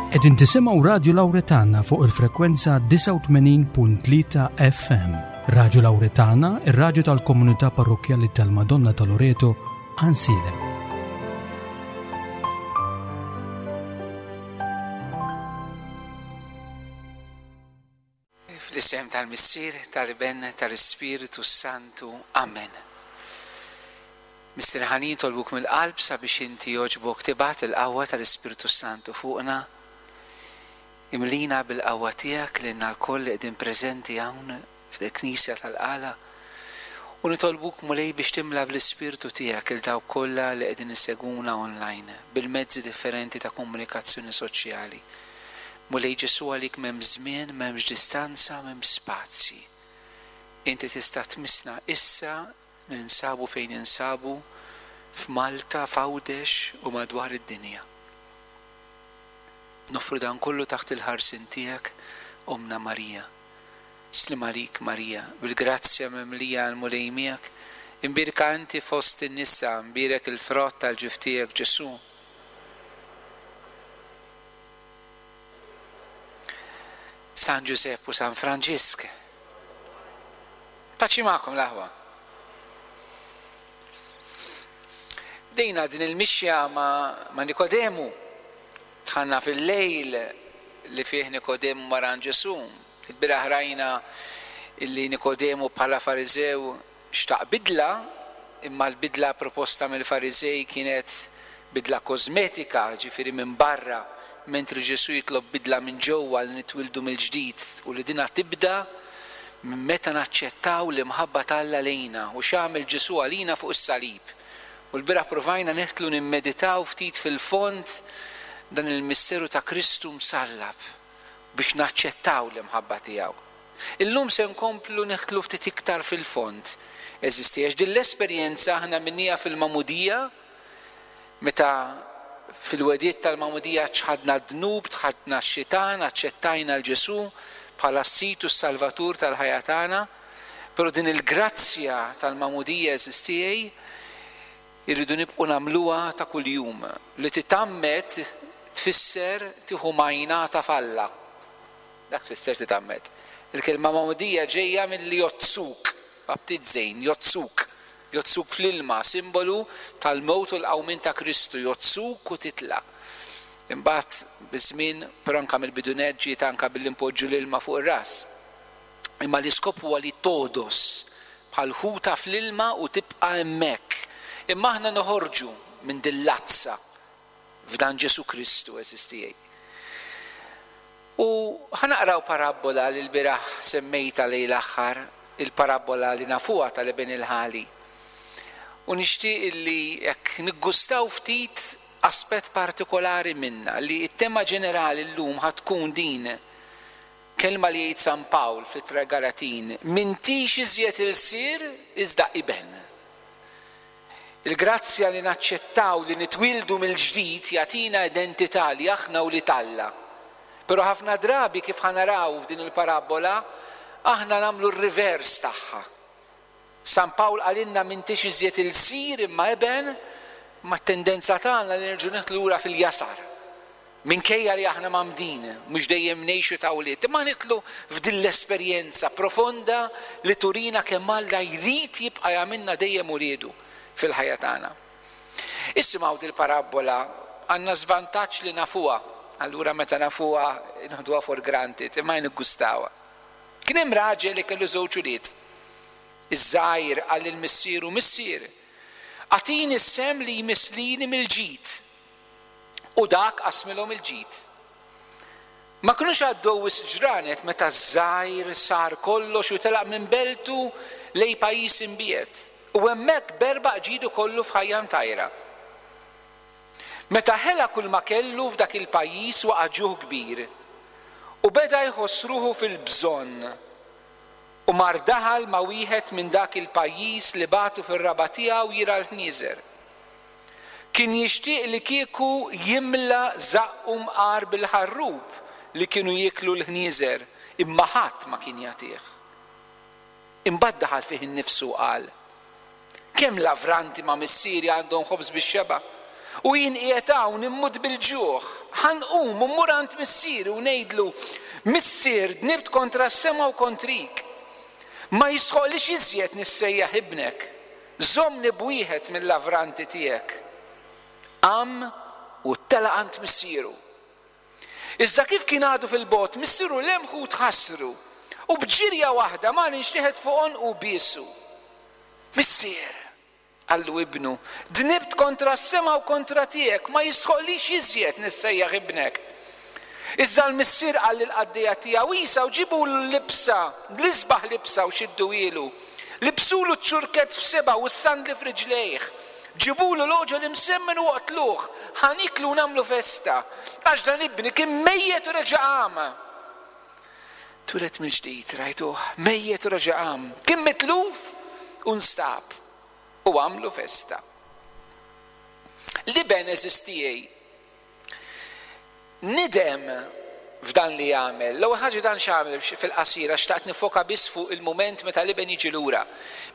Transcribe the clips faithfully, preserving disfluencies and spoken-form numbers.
Qegħdin tisimgħu Radju Lawretana fuq il-frekwenza disgħa u tmenin punt tlieta F M. Radju Lawretana, ir-radju tal-komunità parrokkjali tal-Madonna ta' Loreto, Għajnsielem. Fl-isem tal-Missier, tal-Iben, tal-Ispiritu Santu. Amen. Missier ħanin, tolbuk mill-qalb sabiex inti jogħġbok tibgħat il-qawwa tal-Ispiritu Santu fuqna. Imlina bil-qawwa tiegħek lilna lkoll li qegħdin preżenti hawn fil-Knisja tal-Qala. U nitolbuk, Mulej, biex timla bl-Ispirtu tiegħek il dawk kollha li qegħdin isegwuna online bil-mezzi differenti ta' komunikazzjoni soċjali. Mulej Ġesu, għalik m'hemm żmien, m'hemmx distanza, m'hemm spazji. Inti tista' tmissna issa, ninsabu fejn ninsabu, f'Malta, f'Għawdex u madwar id-dinja. Nofru dan kollu taħt il-ħarsien tiegħek, Omna Marija. Slim għalik, Marija, bil-grazzja mimlija l-Mulej miegħek, imbierka inti fost in-nisa, imbierek il-frott tal-ġuf tiegħek, Ġesu. San Ġużepp u San Franġisk. Paċi magħkom l-aħwa. Bdejna din il-mixja ma', ma' Nikodemu. Dħalna fil-lejl li fih Nikodemu mar għand Ġesu. Il-bieraħ rajna illi Nikodemu bħala Fariżew xtaq bidla, imma l-bidla proposta mill-Fariżej kienet bidla kosmetika, ġifieri minn barra, mentri Ġesu jitlob bidla minn ġewwa li nitwildu mill-ġdid u li dina tibda minn meta naċċettaw l-imħabba t'Alla lejna u x'għamel Ġesu għalina fuq is-salib. U l-bieraħ provajna neħtlu nimmeditaw ftit fil-fond dan il-misteru ta' Kristu msallab biex naċċettaw l-imħabba tiegħu. Illum se nkomplu neħtlu ftit iktar fil-fond. Eżisti, għax din l-esperjenza aħna minnija fil-Magħmudija, meta fil-wediet tal-Magħmudija ċħadna d-dnub, ċħadna x-xitan, aċċettajna l-Ġesu bħala s-Sid u s-Salvatur tal-ħajja tagħna, però din il-grazzja tal-Magħmudija eżistijaj irridu nibqgħu nagħmluha ta' kuljum. Li titgħammed tfisser tieħu majnata f'Alla. Dak tfisser titgħammed. Il-kelma Magħmudija ġejja milli jozzuk, baptizzejn, jozzuk. Jozzuk fl-ilma, simbolu tal-mewt u l-qawmien ta' Kristu, jozzuk u titla'. Imbagħad biż-żmien, però anke mill-bidunet ġiet anke billi npoġġu l-ilma fuq ir-ras. Imma l-iskop huwa li todos bħal ħuta fl-ilma u tibqa' hemmhekk. Imma aħna noħorġu minn din l-azza f'dan Ġesu Kristu eżistijaj. U ħanaqraw parabbola li l-bieraħ semmejta lejn l-aħħar, il-parabbola li nafuha tal-Iben il-Ħali. U nixtieq illi jekk niggustaw ftit aspett partikolari minna, li t-tema ġenerali llum ħatkun din, kelma li jgħid San Pawl fit-Ittra Galatin, m'intix iżjed ilsir iżda iben. Il-grazzja li naċċettaw li nitwildu mill-ġdid jagħtina identità li aħna u li t'Alla. Però ħafna drabi kif ħanaraw f'din il-parabbola, aħna nagħmlu r-rivers tagħha. San Pawl qalilna m'intix iżjed ilsir imma iben, ma t-tendenza tagħna li nerġgħu neħtlu lura fil-jasar. Minkejja li aħna mamdin, mhux dejjem ngħixu ta' wlied, imma nidħlu f'din l-esperjenza profonda li turina kemm Alla jrid jibqa' jagħmilna dejjem uliedu fil-ħajja tagħna. Isimgħu dil-parabbola, għandna żvantaġġ li nafuha, allura meta nafuha nħduha for granted, imma niggustawha. Kien hemm raġel li kellu żewġ ulied. Iż-żgħir qal lil missieru, Missier, agħtini s-sehem li jmisslini mill-ġid. U dak qasmilhom il-ġid. Ma kinux għaddew wisq ġranet meta ż-żgħir sar kollox u telaq minn beltu lej pajjiż imbiegħed. U hemmhekk berbaq ġidu kollu f'ħajja mtajra. Meta ħela kull ma kellu f'dak il-pajjiż waqa' ġuħ kbir u beda jħoss ruħu fil-bżonn. U mar daħal ma' wieħed minn dak il-pajjiż li bagħtu fir-raba' tiegħu jira l-ħnieżer. Kien jixtieq li kieku jimla żaqqu mqar bil-ħarrub li kienu jieklu l-ħnieżer, imma ħadd ma kien jagħtih. Imbagħad daħal fih innifsu u qal, Kemm lavranti ma' missieri għandhom ħobż bix-xeba', u jien qiegħed hawn immut bil-ġuħ. Ħa nqum u mmur għand missieri u ngħidlu, Missier, dnibt kontra s-sema u kontrik. Ma jistħoqqlix iżjed nissejjaħ ibnek. Żommni b'wieħed mill-lavranti tiegħek. Qam u telaq għand missieru. Iżda kif kien għadu fil-bogħod, missieru lemħu u tħassru. U b'ġirja waħda mar inxteħet fuq għonqu u biesu. Missier, qallu ibnu, dnibt kontra s-sema u kontra tiegħek, ma jistħoqqlix iżjed nissejjaħ ibnek. Iżda l-missier qal lill-qaddejja tiegħu, Isgħu ġibulu l-libsa, l-isbaħ libsa u xidduhielu. Libsulu ċ-ċurkett f'sebgħu u s-sandli f'riġlejh. Ġibulu l-għoġol imsemmen u oqtluh, ħa nieklu u nagħmlu festa, għax dan ibni kien mejjet u reġa' qam. Twieled mill-ġdid, rajtuh, mejjet u reġa' qam. Kien mitluf u nstab u għamlu festa. L-iben għeżież tiegħi nidem f'dan li jagħmel. L-ewwel ħaġa dan x'għamel fil-qasira xtaqt nifoka biss fuq il-mument meta l-iben jiġi lura.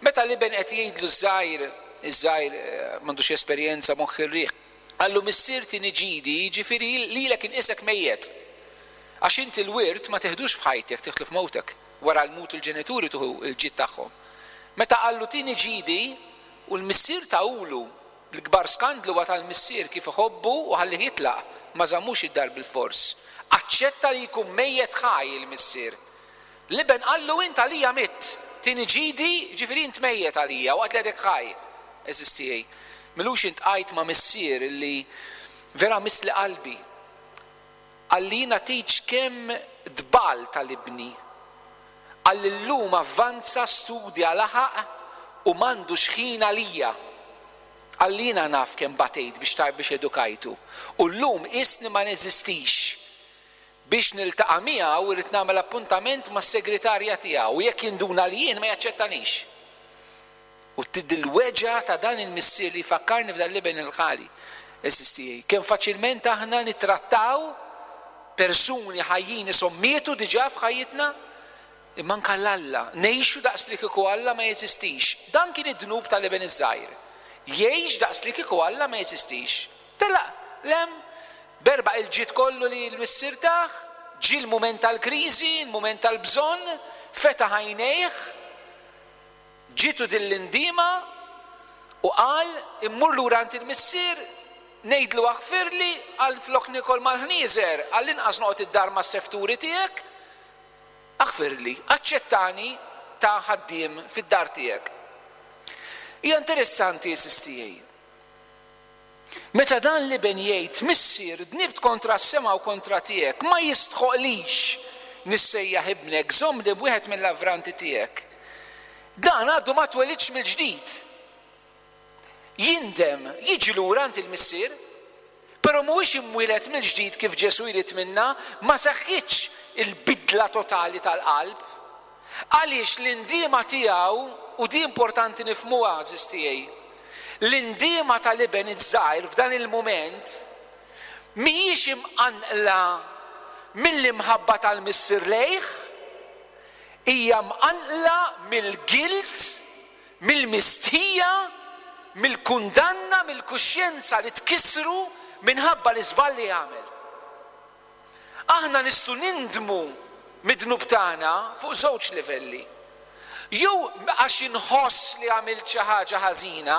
Meta l-iben qed jgħidlu żgħir, iż-żgħir eh, m'għandux esperjenza moħħ ir-riħ. Qallu missier tini ġidi, jiġifieri lilek inqisek mejjet. Għax inti l-wirt ma teħdux f'ħajtek, teħdlu f'mewtek. Wara l-mut il-ġenituri tuħu il-ġid tagħhom. Meta qallu tini ġidi u l-missier tahulu l-kbar skandlu huwa tal-missier kif iħobbu u ħallih jitlaq, ma żammux id-dar bil-fors. Aċċetta li jkun mejjet ħaj il-missier. L-iben qallu int għalija mitt, tini ġidi, ġifieri int mejjet għalija, waqt li għadek ħaj. Għeżież tiegħi. M'ilux iltqajt ma' missier li vera missli qalbi. Qalli jiena tgħidx kemm tbalt għal ibni. Qalli llum avvanza studja laħaq u m'għandux ħin għalija. Qalli jiena naf kemm batejt biex tar biex edukajtu. U llum qisni ma neżistix. Biex niltaqa' miegħu irrid nagħmel appuntament mas-segretarja tiegħu u jekk jinduna li jien ma jaċċettanix. U dil-weġgħa ta' dan il-missier li jfakkarni f'dan l-iben il-ħali. Għeżież tiegħi. Kemm faċilment aħna nittrattaw persuni ħajjin qishom mietu diġà f'ħajjitna, imma anke Alla, ngħixu daqs li kieku Alla ma jeżistix. Dan kien id-dnub tal-iben iż-żgħir. Jgħix daqs li kieku Alla ma jeżistix. Telaq, lem, berbaq il-ġid kollu li l-missier tah, ġie l-mument tal-kriżi, il-mument tal-bżonn, fetaħ għajnejh, ġietu din l-indiema u qal immur lura għand il-missier, ngħidlu aħfirli għal flok nikol mal-ħnieżer, għall-inqas noqgħod id-dar mas-sefturi tiegħek, aħfirli, aċċettani ta' ħaddiem fid-dar tiegħek. Hija interessanti għeżież tiegħi. Meta dan l-iben jgħid, missier, dnibt kontra s-sema u kontra tiegħek, ma jistħoqlix nissejjaħ ibnek, żommni b'wieħed mill-lavranti tiegħek. Dan għadu ma twelidx mill-ġdid. Jindem, jiġi lura għand il-missier, però mhuwiex imwieled mill-ġdid kif Ġesù jrid minna, ma seħħitx il-bidla totali tal-qalb. Għaliex l-indiema tiegħu, u di importanti nifhmuha għeżież tiegħi, l-indiema tal-iben iż-żgħir f'dan il-mument mhijiex imqanqla mill-imħabba tal-missier lejh, hija mqanqla mill-guilt, mill-mistħija, mill-kundanna, mill-kuxjenza li tkissru minħabba l-iżball li għamel. Aħna nistgħu nindmu mid-dnub tagħna fuq żewġ livelli. Jew għax inħoss li għamilt xi ħaġa ħażina,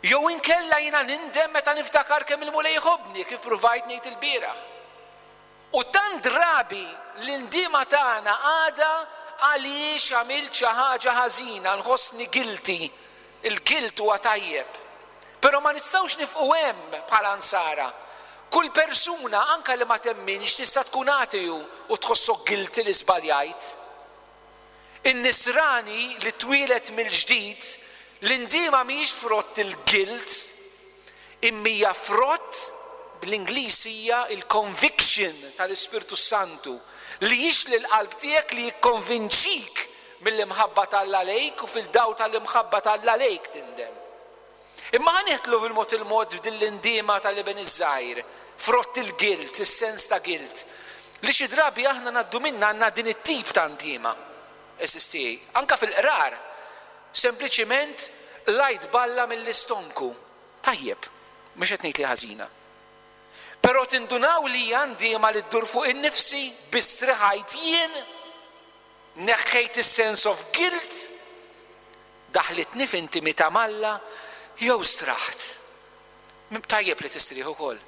jew inkella jiena nindem meta niftakar kemm il-Mulej jħobbni kif provajt ngħid il-bieraħ. U tant drabi l-indiema tagħna għada għaliex għamilt xi ħaġa ħażina, nħossni guilty. Il-guilt huwa tajjeb. Però ma nistgħux nifqu hemm bħala nsara. Kull persuna anka li ma temminx tista' tkun ateju u tħossok guilty li żbaljajt. In-nisrani li twieled mill-ġdid, l-indiema mhijiex frott il-guilt, imma hija frott bl-Ingliż hija il-conviction tal-Ispirtu Santu li jixli l-qalb tiegħek li jikkonvinċik mill-imħabba t'Alla lejk u fil-daw tal-imħabba t'Alla lejk tindem. Imma ħa nidħlu bil-mod il-mod f'din l-indiema tal-iben iż-żgħir, frott il-guilt, is-sens ta' guilt, li xi drabi aħna ngħaddu minna għandna din it-tip ta' ndiema. Għeżież tiegħi, anka fil-qrar, sempliċiment lajt balla mill-istonku. Tajjeb, mhux qed ngħid li ħażina. Però tindunaw li għandi ma li ddur fuq in-nifsi, bistriħajt jien, neħħejt is-sense of guilt, daħlitni f'intimità m'Alla, jew straħt. Tajjeb li tistrieħ ukoll.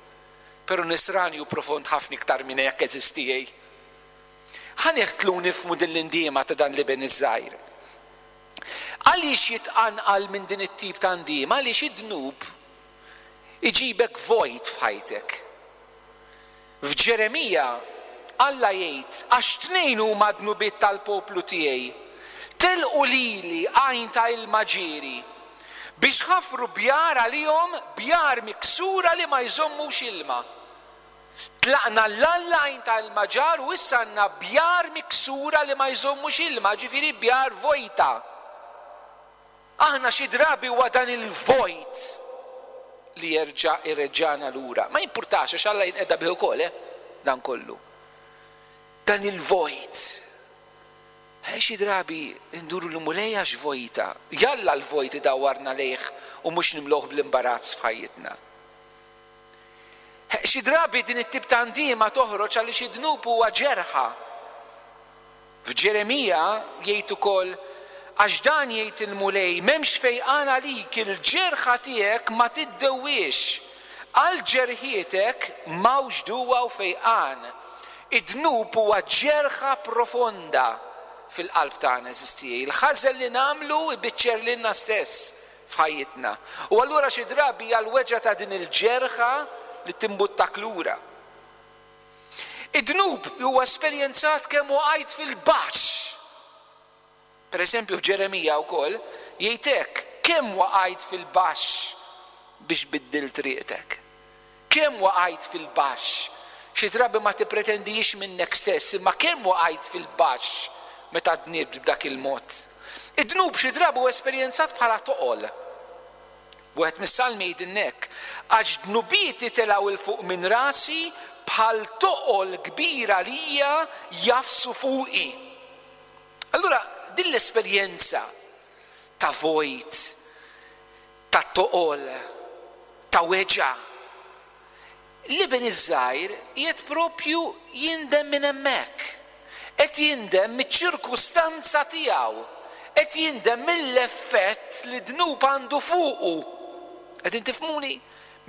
Però nisrani hu profond ħafna iktar minn hekk eżistijej. Ħa neħtlu nifhmu din l-indiema ta' dan l-iben iż-żgħir. Għaliex jitqanqal minn din it-tip ta' ndiema? Għaliex id-dnub iġibek vojt f'ħajtek. F'Ġeremija Alla jgħid, għax tnejn huma dnubiet tal-poplu tiegħi. Telqu lili għajn ta' ilma ġieri biex ħafru bjar għalihom, bjar miksura li ma jżommux ilma. Tlaqna l-Alla għajn ta' ilma ġar u issa għandna bjar miksura li ma jżommux ilma, ġifieri bjar vojta. Aħna xi drabi huwa dan il-vojt li jerġa' irreġġana lura. Ma jimpurtax għax Alla jinqeda bih ukoll, eh? Dan kollu. Dan il-vojt. Xi drabi nduru l-Mulej għax vojta. Jalla l-vojt idawwarna lejh u mhux nimlowh bl-imbarazz f'ħajjitna. Xi drabi din it-tip ta' ndiema toħroġ għaliex id-dnub huwa ġerħa. F'Ġeremija jgħid ukoll, għax dan jgħid il-Mulej, m'hemmx fejqan għalik, il-ġerħa tiegħek ma tiddewwiex. Għal ġerħietek m'hawnx duwa u fejqan. Id-dnub huwa ġerħa profonda fil-qalb tagħna, eżistijej. Il-ħażen li nagħmlu ibiċċer lilna stess f'ħajjitna. U allura xi drabi hija l-weġgħa ta' din il-ġerħa li timbuttak lura. Id-dnub huwa esperjenzat kemm waqajt fil-baxx. Per eżempju f'Ġeremija wkoll jgħid hekk, kemm waqajt fil-baxx biex biddilt triqtek. Kemm waqajt fil-baxx. Xi drabi ma tippretendix minnek stess, imma kemm waqajt fil-baxx meta dnibt b'dak il-mod. Id-dnub xi drabi huwa esperjenzat bħala toqol. Wieħed mis-salmi jgħidilna, għax dnubieti telgħu 'l fuq minn rasi bħal toqol kbira lija jafsu fuqi. Allura din l-esperjenza ta' vojt, ta' toqol, ta' weġgħa, l-iben iż-żgħir qiegħed propju jindem minn hemmhekk. Qed jindem miċ-ċirkustanza tiegħu. Qed jindem mill-effett li dnub għandu fuqu. Qegħdin tifhmuni?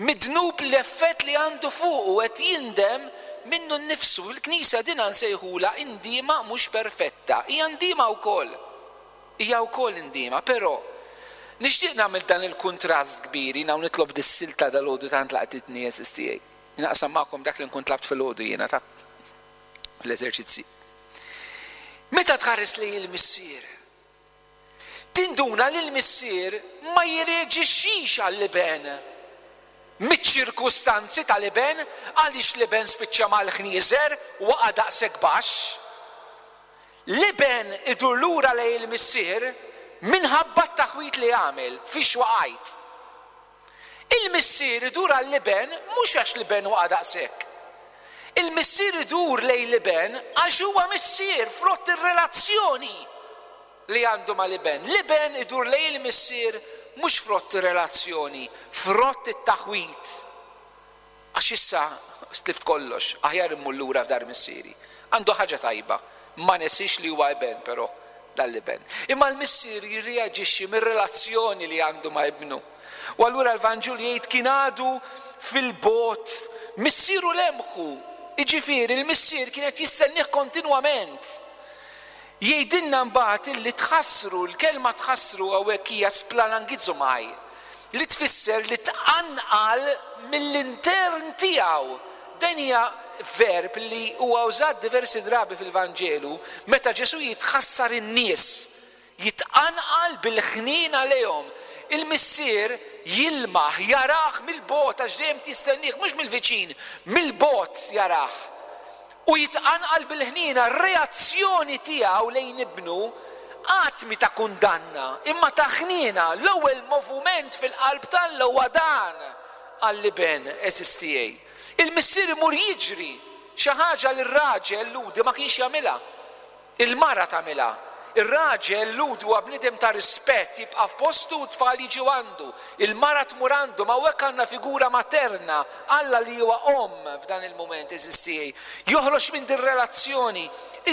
Mid-dnub l-effett li għandu fuqu qed jindem minnu nnifsu. Fil-Knisja din nsejħula indiema mhux perfetta. Hija ndiema wkoll. Hija wkoll indiema, però nixtieq nagħmel dan il-kuntrast kbir, jiena nitlob dis-silta dal-għodu tant laqtitni għeżież tiegħi. Naqsam magħkom dak li nkun tlabt fil-għodu jiena ta' fl-eżerċizzi. Meta tħares lejn il-missier, tinduna li l-missier ma jirreġixxix għall-iben miċ-ċirkustanzi tal-iben, għaliex l-iben spiċċa mal-ħnieżer waqa' daqshekk baxx. L-iben idur lura lejn il-missier minħabba t-taħwit li għamel fiex waqajt. Il-missier idur għall-iben mhux għax l-iben waqa' daqshekk. Il-missier idur lejn l-iben għax huwa missier frott ir-relazzjoni li għandu mal-iben. L-iben idur lejn il-missier mhux frott ir-relazzjoni, frott it-taħwit. Għax issa stlift kollox, aħjar immur lura f'dar missieri. Għandu ħaġa tajba, ma nesix li huwa iben però dal-iben. Imma l-missier jirreaġixxi mir-relazzjoni li għandu ma' ibnu. U allura l-Vanġelu jgħid kien għadu fil-bot, missieru lemħu. Jiġifieri l-missier kien qed jistennieh kontinwament. Jgħidilna mbagħad illi tħassru, l-kelma tħassru hawnhekk hija splanangizomai, li tfisser li tqanqal mill-intern tiegħu. Dan hija verb li huwa użat diversi drabi fil-Vanġelu meta Ġesu jitħassar in-nies, jitqanqal bil-ħnina lejhom. Il-missier jilmaħ, jarah mill-bot għax dejjem tistennieh, mhux mill-viċin, mill-bot jarah. U jitqanqal bil-ħnina, r-reazzjoni tiegħu lejn ibnu qatt mi ta' kundanna, imma ta' ħnina. L-ewwel moviment fil-qalb t'Alla huwa dan għall-iben eżistijej. Il-missier imur jiġri xi ħaġa li r-raġel ludi ma kienx jagħmilha. Il-mara tagħmilha. Ir-raġel Lhudi huwa bniedem ta' rispett, jibqa' f'postu u t-tfal jiġu għandu. Il-mara tmur għandu, ma hawnhekk għandna figura materna, Alla li huwa omm f'dan il-mument, għeżież tiegħi. Joħroġ minn din relazzjoni,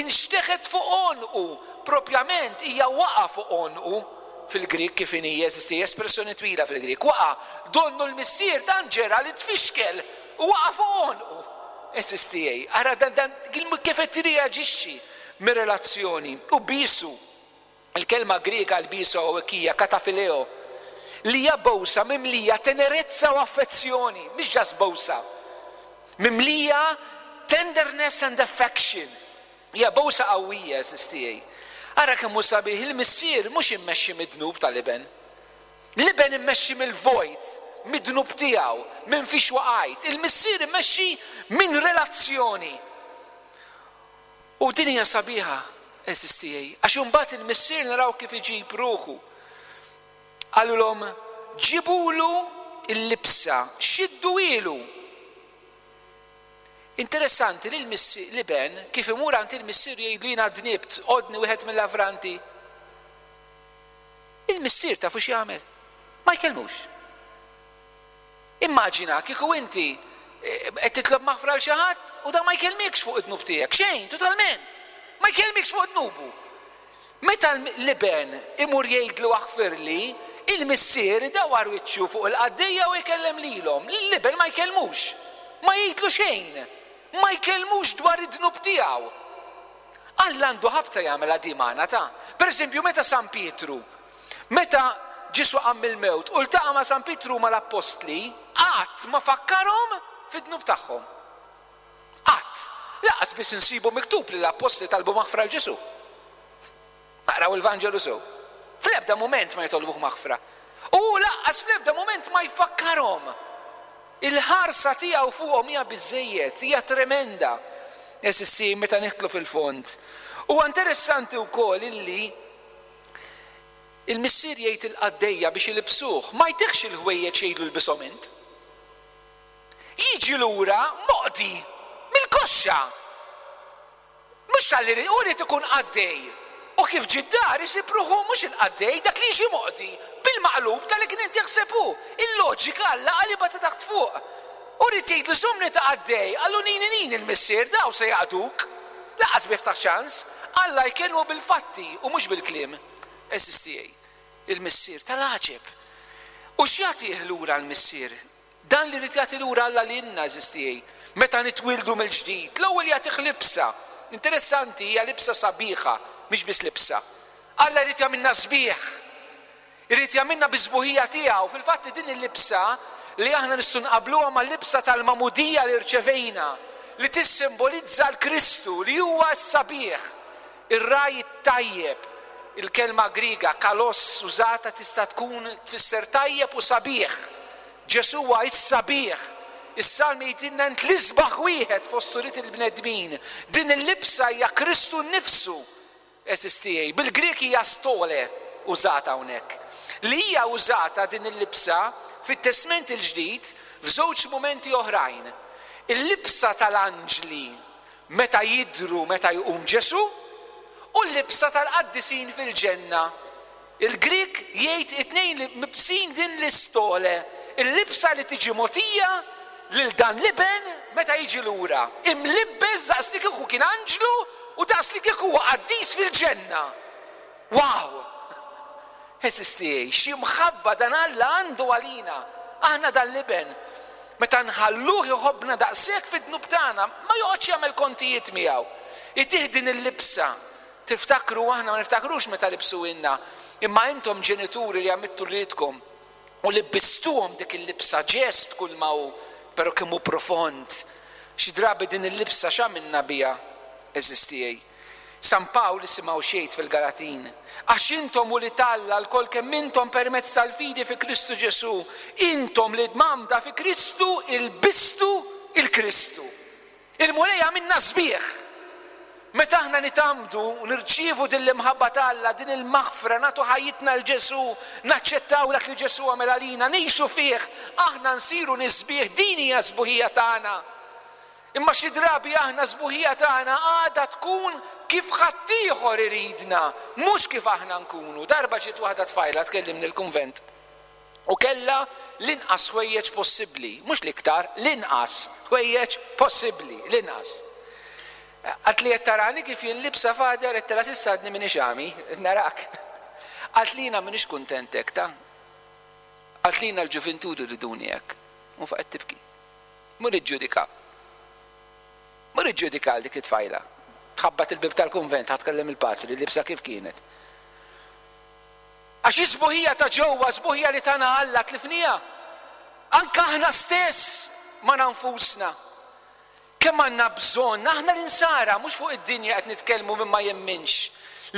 inxteħet fuq għonqu, propjament hija waqa' fuq għonqu fil-Grik kif inhi, għeżież tiegħi, espressjoni twila fil-Grik, waqa', donnu l-missier dan ġera li tfixkel u waqa' fuq għonqu. Għeżież tiegħi, ara dan, dan kif qed tirreaġixxi mir-relazzjoni. U bisu, il-kelma Griega l-bisu hawnhekk hija katafileo, li hija bowsa mimlija tenerezza u affezzjoni, mhix ġas bowsa, mimlija tenderness and affection. Hija bowsa qawwija, għeżież tiegħi. Ara kemm hu sabiħ il-missier mhux immexxi mid-dnub tal-iben. L-iben immexxi mill-vojt, mid-dnub tiegħu, minn fiex waqajt. Il-missier immexxi minn relazzjoni. U din hija sabiħa, għeżież tiegħi, għax imbagħad il-missier naraw kif iġib ruħu. Qalulhom, ġibulu l-libsa, xiddu ilu. Interessanti li l-missier, l-iben, kif imur għand il-missier jgħidlu jiena dnibt, għodni wieħed mill-lavranti. Il-missier tafu x'jagħmel? Ma jkellmux. Immaġina kieku inti qed titlob maħfra għal xi ħadd u dan ma jkellmikx fuq id-dnub tiegħek, xejn, totalment. Ma jkellmikx fuq dnubu. Meta l-iben imur jgħidlu aħfirli, il-missier idawar wiċċu fuq il-qaddejja u jkellem lilhom. L-iben ma jkellmux, ma jgħidlu xejn, ma jkellmux dwar id-dnub tiegħu. Alla għandu ħabta jagħmel għadi magħna ta'. Per eżempju, meta San Pietru, meta Ġesu qam mill-mewt u ltaqa' ma' San Pietru mal-appostli, qatt ma fakkarhom fid-dnub tagħhom. Qatt. Lanqas biss insibu miktub li l-appostli talbu maħfra l Ġesu. Naqraw il-Vanġelu sew. Fl-ebda mument ma jitolbuh maħfra. U lanqas fl-ebda mument ma jfakkarhom. Il-ħarsa tiegħu fuqhom hija biżejjed, hija tremenda. Eżisti meta nidħlu fil-fond. Huwa interessanti wkoll illi il-missier jgħid il-qaddejja biex ilibsuh, ma jtiħx il-ħwejjeġ jgħidlu lbishom int. Jiġi lura moqdi mill-koxxa. Mhux tal-li ri-, u rrid ikun qaddej. U kif ġie d-dar isib ruħu mhux il-qaddej, dak li jiġi moqdi bil-maqlub tal-li kien qed jaħseb hu. Il-loġika Alla qalibha ta' taħt fuq. U rrid jgħidlu żommni ta' qaddej, qallu nini nini l-missier, daw se jaqduk. Lanqas bih ta' ċans. Alla jkellmu bil-fatti u mhux bil-kliem. Għeżież tiegħi, il-missier tal-għaġeb. U x'jagħtih lura l-missier? Dan li rrid jagħti lura Alla lilna, għeżież tiegħi, meta nitwildu mill-ġdid. L-ewwel jagħtih libsa. Interessanti, hija libsa sabiħa, mhix biss libsa. Alla jrid jagħmilna sbieħ. Irid jagħmilna biż-sbuħija tiegħu. Fil-fatt din il-libsa li aħna nistgħu nqabluha mal-libsa tal-magħmudija li rċevejna, li tissimbolizza l-Kristu li huwa s-sabiħ, ir-raj it-tajjeb. Il-kelma Griega kalos użata tista' tkun tfisser tajjeb u sabiħ. Ġesu huwa s-sabiħ. Is-Salmi jgħidilna int l-isbaħ wieħed fost ulied il-bnedmin. Din il-libsa hija Kristu nnifsu. Għeżież tiegħi, bil-Grieg hija stole użata hawnhekk. Li hija użata din il-libsa fit-Testment il-Ġdid f'żewġ mumenti oħrajn. Il-libsa tal-anġli meta jidhru meta jqum Ġesu u l-libsa tal-qaddisin fil-ġenna. Il-Grieg jgħid it-tnejn li mibsin din l-istole, il-libsa li tiġi mogħtija lil dan l-iben meta jiġi lura. Imlibbes daqs li kieku kien anġlu u daqs li kieku huwa qaddis fil-ġenna. Wow! Għeżież tiegħi, xi mħabba dan Alla għandu għalina. Aħna dan l-iben. Meta nħalluh iħobbna daqshekk fid-dnub tagħna, ma joqgħodx jagħmel kontijiet miegħu. Itih din il-libsa. Tiftakru, aħna ma niftakrux meta libsu inna, imma intom ġenituri li għamittu lilkom u libbistuhom dik il-libsa, ġest kull ma hu, però kemm hu profond. Xi drabi din il-libsa x'għamilna biha, għeżież tiegħi? San Pawl isimgħu xejn fil-Galatin. Għax intom u li talla lkoll kemm intom permezz tal-fidi fi Kristu Ġesu, intom li dmamda fi Kristu ilbistu il-Kristu. Il-Mulej għamilna sbieħ. Meta aħna nitgħammdu u nirċievu din l-imħabba t'Alla, din il-maħfra, nagħtu ħajjitna l Ġesu, naċċettaw dak li Ġesu għamel għalina, ngħixu fih, aħna nsiru nisbieħ, din hija sbuħija tagħna. Imma xi drabi aħna sbuħija tagħna għadha tkun kif ħaddieħor iridna, mhux kif aħna nkunu. Darba ġiet waħda tfajla tkellimni l-kunvent u kellha l-inqas ħwejjeġ possibbli, mhux l-iktar, l-inqas ħwejjeġ possibbli, l-inqas. Qaltli qed tarani kif jien libsa Father, għedtilha s'issa għadni m'iniex għami, narak. Qaltli jiena m'iniex kuntent hekk ta. Qaltli jiena l-ġuvintur iriduni hekk. U faqgħet tibki. Mur iġġudika. Mur iġġudika għal dik it-tfajla. Tħabbat il-bib tal-kunvent, ħa tkellem il-patri, libsa kif kienet. Għax is-sbuħija ta' ġewwa, sbuħija li tana Alla tlifnija. Anka aħna stess ma nfusna. Kemm għandna bżonn, aħna l-insara, mhux fuq id-dinja qed nitkellmu minn ma jemminx,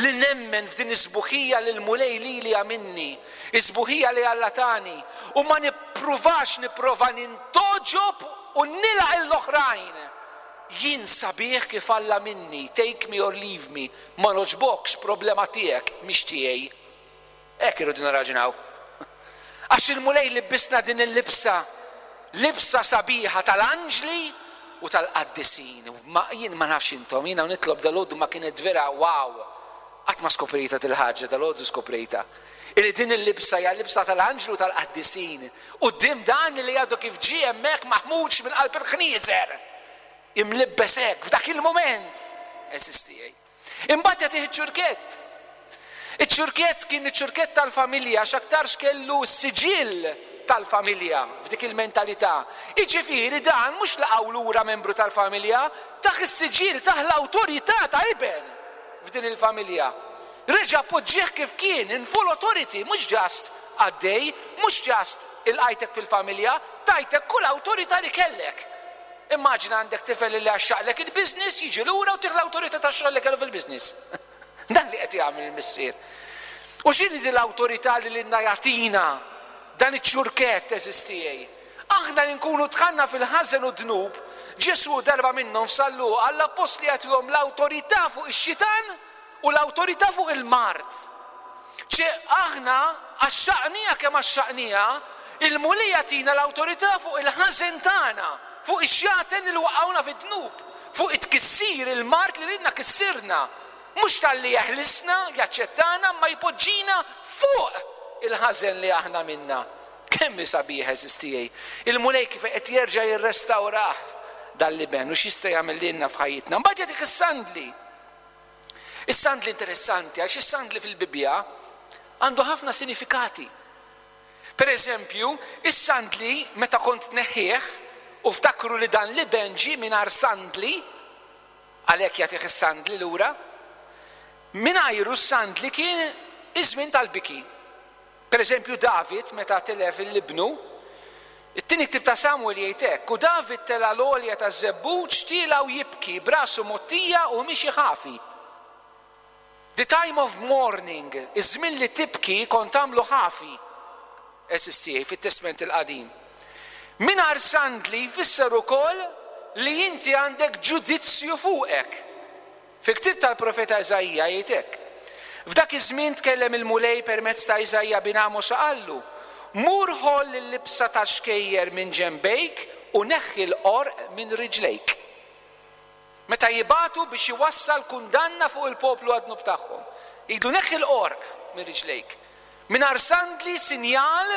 li nemmen f'din is-sbuħija li l-Mulej lili għamilni, is-sbuħija li Alla tani, u ma nippruvax nipprova nintogħġob u nilgħaq l-oħrajn. Jien sabiħ kif Alla minni, take me or leave me, ma nogħġbokx problema tiegħek, mhix tiegħi. Hekk irridu nirraġunaw. Għax il-Mulej libbisna din il-libsa, libsa sabiħa tal-anġli u tal-qaddisin. Ma jien ma nafx intom, jiena nitlob dal-għodu ma kienet vera wow. Qatt ma skoprejta dil-ħaġa, dal-għodu skoprejta. Illi din il-libsa hija libsa tal-anġlu tal-qaddisin. U dim dan li għadu kif ġie hemmhekk maħmuġ minn qalb il-ħnieżer. Imlibbes hekk f'dak il-moment. Eżistijaj. Imbagħad jagħtih iċ-ċurkett. Iċ-ċurkett kien iċ-ċurkett tal-familja, x'aktarx kellu s-siġill tal-familja f'dik il-mentalità. Jiġifieri dan mhux laqgħu lura membru tal-familja, taħ is-siġill, taħ l-awtorità ta' iben f'din il-familja. Reġa' poġġieh kif kien, in full authority, mhux just għaddej, mhux just il-qajtek fil-familja, tajtek kull awtorità li kellek. Immaġina għandek tifel li għaxxaqlek il-business, jiġi lura u tieħu l-awtorità tax-xogħol li kellu fil-business. Dan li qed jagħmel il-missier. U x'inhi din l-awtorità li lilna jagħtina dan iċ-ċurkett eżistijej? Aħna li nkunu dħalna fil-ħażen u dnub, Ġesu darba minnhom f'San Luqa għall-appostli jagħtihom l-awtorità fuq ix-xitan u l-awtorità fuq il-mard. Ċe aħna għaxxaqnija kemm għaxxaqnija, il-Mulej jagħtina l-awtorità fuq il-ħażen tagħna, fuq ix-xjaten li waqgħuna fid-dnub, fuq it-tkissir il-mard li lilna kissirna. Mhux talli jeħlisna, jaċċettana, ma jpoġġina fuq il-ħażen li aħna minna. Kemm hi sabiħ eżistijej. Il-Mulej kif qed jerġa' jirrestawrah dal-liben u x'jista' jagħmel lilna f'ħajjitna. Mbagħad jagħtik is-sandli. Is-sandli interessanti għax is-sandli fil-Bibbja għandu ħafna sinifikati. Per eżempju, is-sandli meta kont tneħħih u ftakru li dan l-iben ġie mingħajr sandli, għalhekk jagħtih is-sandli lura, mingħajru s-sandli kien iż-żmien tal-biki. Per eżempju, David meta tilef il-libnu, it-tieni ktieb ta' Samuel jgħid hekk, u David tela' l-għolja taż-żebbuġ tiela' u jibki b'rasu mgħottija u miexi ħafi. The time of mourning, iż-żmien li tibki kont tagħmlu ħafi, eżistijaj fit-Testment il-Qadim. Mingħajr sandli jfisser ukoll li inti għandek ġudizzju fuqek. Fil-ktieb tal-profeta Iżaija jgħid hekk. F'dak iż-żmien tkellem il-Mulej permezz ta' Iżaija bin Amos u qallu, mur ħoll il-libsa ta' xkejjer minn ġenbejk u neħħi l-qorq minn riġlejk. Meta jibatu biex iwassal kundanna fuq il-poplu għad-dnub tagħhom. Jgħidu neħħi l-qorq minn riġlejk. Mingħajr sandli sinjal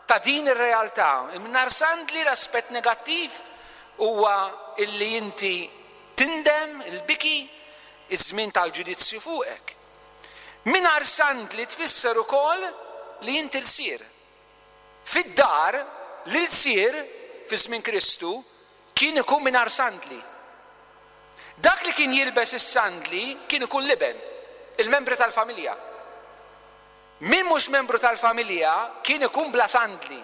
ta' din ir-realtà. Mingħajr sandli l-aspett negattiv huwa illi inti tindem, il-biki, iż-żmien tal-ġudizzju fuqek. Mingħajr sandli tfisser ukoll li inti lsir. Fid-dar l-ilsir fi żmien Kristu kien ikun mingħajr sandli. Dak li kien jilbes is-sandli kien ikun liben, il-membri tal-familja. Min mhux membru tal-familja kien ikun bla sandli.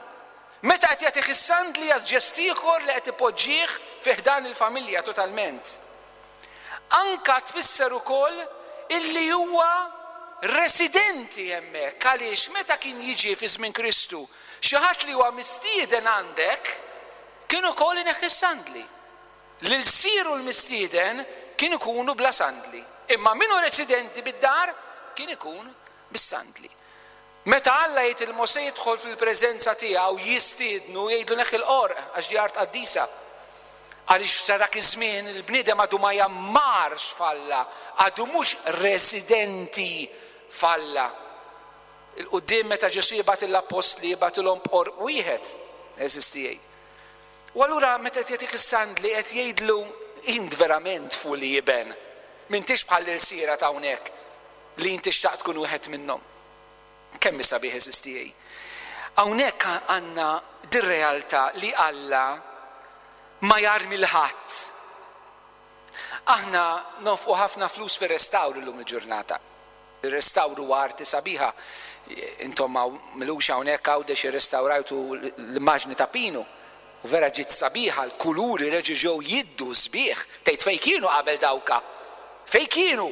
Meta qed jagħtih is-sandli għaż ġest ieħor li qed ipoġġih fi ħdan il-familja totalment. Anka tfisser ukoll illi huwa residenti hemmhekk, għaliex meta kien jiġi fi żmien Kristu xi ħadd li huwa mistieden għandek kien ukoll ineħħi s-sandli. L-ilsir u l-mistieden kien ikunu bla sandli, imma min hu residenti bid-dar kien ikun bis-sandli. Meta Alla jgħid il Mosè jidħol fil-preżenza tiegħu jistiednu jgħidlu neħħi l-qorq għax di art qaddisa. Għaliex sa dak iż-żmien il-bniedem għadu ma jammarx f'Alla, għadu mhux residenti f'Alla. Il-quddiem meta Ġesù jibgħat l-appostli jibgħatilhom b'qorb wieħed, għeżież tiegħi. U allura meta qed jagħtik is-sandli qed jgħidlu int verament fuli iben. M'intix bħal l-ilsiera ta' hawnhekk li inti xtaqt tkun wieħed minnhom. Kemm hi sabiħ, għeżież tiegħi. Hawnhekk għandna dir-realtà li Alla ma jarmi l-ħadd. Aħna nonfqu ħafna flus fir-restawr illum il-ġurnata. Il-restawr huwa arti sabiħa. Intom m'ilux hawnhekk Għawdex irrestawrajtu l-immaġni ta' Pinu. U vera ġiet sabiħa, l-kuluri reġgħu ġew jiddu sbieħ. Tgħid fejn kienu qabel dawka? Fejn kienu?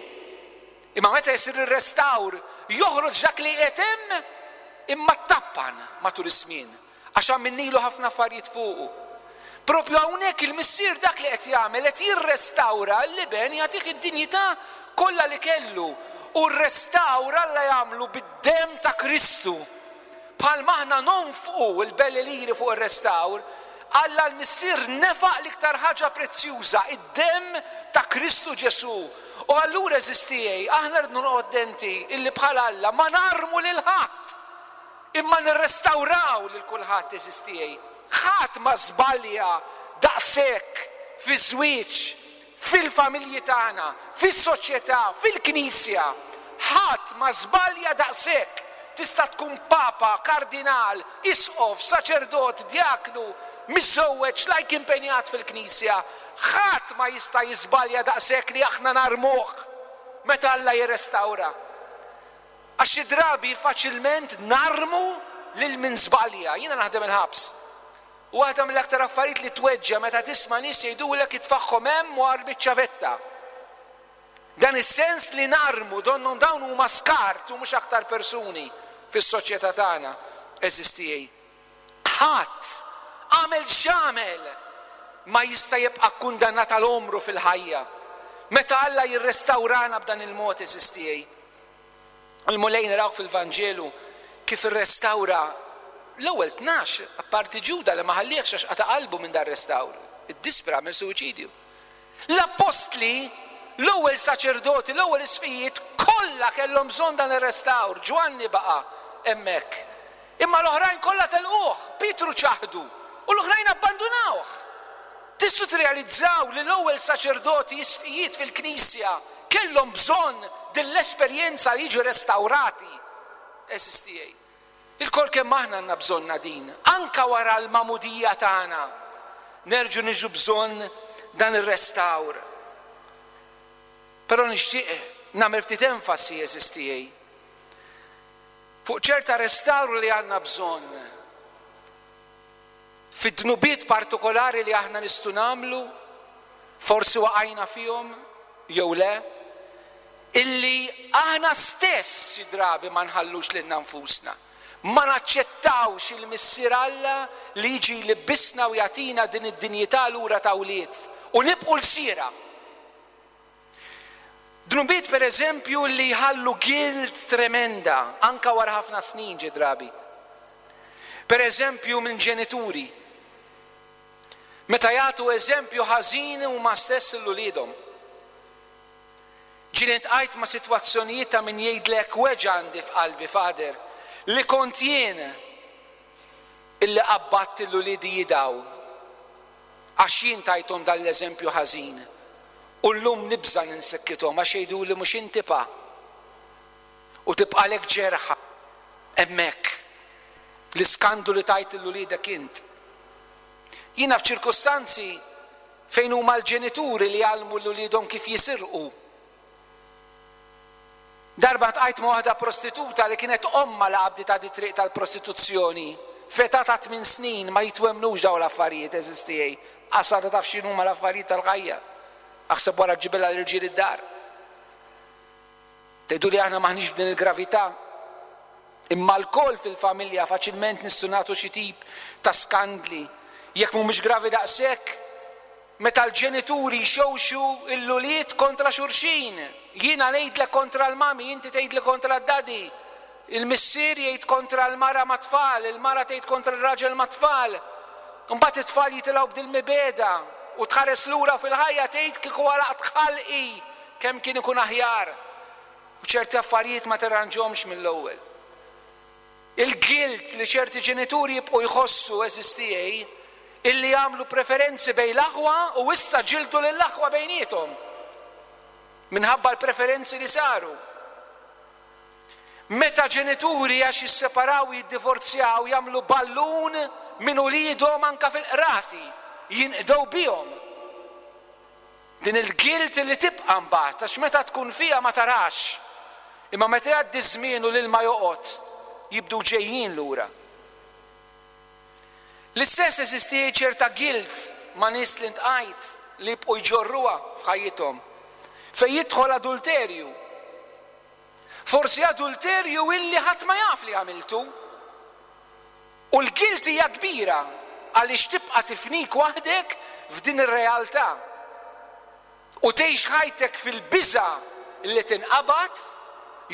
Imma meta jsir ir-restawr joħroġ dak li qed hemm imma tappan matul iż-żmien għax għamilnilu ħafna affarijiet fuqu. Propju hawnhekk il-missier dak li qed jagħmel qed jirrestawra l-iben, jagħtih id-dinjità kollha li kellu. U r-restawr Alla jagħmlu bid-demm ta' Kristu. Bħalma aħna nonfqu l-belli liri fuq ir-restawr, Alla l-Missier nefaq l-iktar ħaġa prezzjuża, id-demm ta' Kristu Ġesù. U allura, għeżież tiegħi, aħna rridu noqgħod attenti illi bħal Alla ma narmu lil ħadd, imma nirrestawraw lil kulħadd, għeżież tiegħi. Ħadd ma żbalja daqshekk fiż-żwieġ, fil-familji tagħna, fis-soċjetà, fil-Knisja. Ħadd ma żbalja daqshekk. Tista' tkun papa, kardinal, isqof, saċerdot, djaknu, miżżewweġ, lajk impenjat fil-Knisja. Ħadd ma jista' jiżbalja daqshekk li aħna narmuh meta Alla jirrestawra. Għax xi drabi faċilment narmu lil min żbalja. Jiena naħdem il-ħabs. U waħda mill-aktar affarijiet li tweġġa' meta tisma' nies jgħidulek itfaħħom hemm u armi ċ-ċavetta. Dan is-sens li narmu donnhom dawn huma skart u mhux aktar persuni fis-soċjetà tagħna, għeżież tiegħi. Ħadd għamel x'għamel ma jista' jibqa' kkundannat għal għomru fil-ħajja. Meta Alla jirrestawrana b'dan il-mod, għeżież tiegħi. Il-Mulej narawh fil-Vanġelu kif irrestawra l-ewwel tnax, apparti Ġuda li ma ħallihx għax qata' qalbu minn dar restawr, iddispra minn suwiċidju. L-appostli, l-ewwel saċerdoti, l-ewwel isqfijiet kollha kellhom bżonn dan ir-restawr. Ġwanni baqa' hemmhekk. Imma l-oħrajn kollha telquh, Pietru ċaħdu u l-oħrajn abbandunawh. Tistgħu tirrealizzaw li l-ewwel saċerdoti isqfijiet fil-Knisja kellhom bżonn din l-esperjenza li jiġu restawrati. Għeżież tiegħi. Ilkoll kemm aħna għandna bżonna din, anka wara l-magħmudija tagħna, nerġgħu niġu bżonn dan ir-restawr. Però nixtieq nagħmel ftit enfasi, għeżież tiegħi, fuq ċerta restawr li għandna bżonn fid-dnubiet partikolari li aħna nistgħu nagħmlu, forsi waqajna fihom jew le, illi aħna stess xi drabi ma nħallux lilna nfusna. Ma naċċettawx il-Missier Alla li jiġi jlibbisna u jagħtina din id-dinjità lura ta' wlied u nibqu lsiera. Dnubiet per eżempju li jħallu guilt tremenda anka wara ħafna snin ġi drabi. Per eżempju minn ġenituri. Meta jagħtu eżempju ħażin huma stess lil uliedhom. Ġieli ntqajt ma' sitwazzjonijiet ta' min jgħidlek weġgħa għandi f'qalbi, Father, li kont jien illi qabbadt lil uliedi jidaw għax jien tajthom dan l-eżempju ħażin. U llum nibża' ninsikkithom għax jgħiduli mhux inti pa. U tibqalek ġerħa hemmhekk l-iskandlu li tajt lil uliedek int. Jiena f'ċirkustanzi fejn huma l-ġenituri li jgħallmu lil uliedhom kif jisirqu. Darba tqajt ma' waħda prostituta li kienet omma la qabditha di triq tal-prostituzzjoni. F'età ta' tmien snin ma jitwemmnux dawn l-affarijiet, għeżież tiegħi. Qas għadha taf x'inhuma l-affarijiet tal-ħajja. Aħseb wara ġibilha l-irġiel id-dar. Tgħidu li aħna m'aħniex b'din il-gravità. Imma lkoll fil-familja faċilment nistgħu nagħtu xi tip ta' skandli. Jekk mhumiex gravi daqshekk, meta l-ġenituri jxewxu l-ulied kontra xulxin. Jiena ngħidlek kontra l-mami, inti tgħidli kontra d-daddy. Il-missier jgħid kontra l-mara mat-tfal, il-mara tgħid kontra r-raġel mat-tfal. Imbagħad it-tfal jitilgħu b'dil mibegħda. U tħares lura fil-ħajja tgħid kieku għalaqt ħalqi kemm kien ikun aħjar. U ċerti affarijiet ma terranġhomx mill-ewwel. Il-guilt li ċerti ġenituri jibqgħu jħossu, għeżież tiegħi, illi jagħmlu preferenzi bejn l-aħwa u issa ġildu lill-aħwa bejniethom minħabba l-preferenzi li saru. Meta ġenituri, għax jisseparaw, jiddivorzjaw, jagħmlu ballun minn uliedhom anka fil-qrati, jinqdew bihom. Din il-guilt li tibqa' mbagħad, għax meta tkun fiha ma tarax. Imma meta jgħaddi żmien u l-ilma joqgħod, jibdu ġejjin lura. L-istess eżisti ċerta guilt ma' nies li ltqajt li jibqgħu jġorruha f'ħajjithom. Fejn jidħol adulterju. Forsi adulterju illi ħadd ma jaf li għamiltu. U l-guilt hija kbira għaliex tibqa' tifnik waħdek f'din ir-realtà. U tgħix ħajtek fil-biża li tinqabad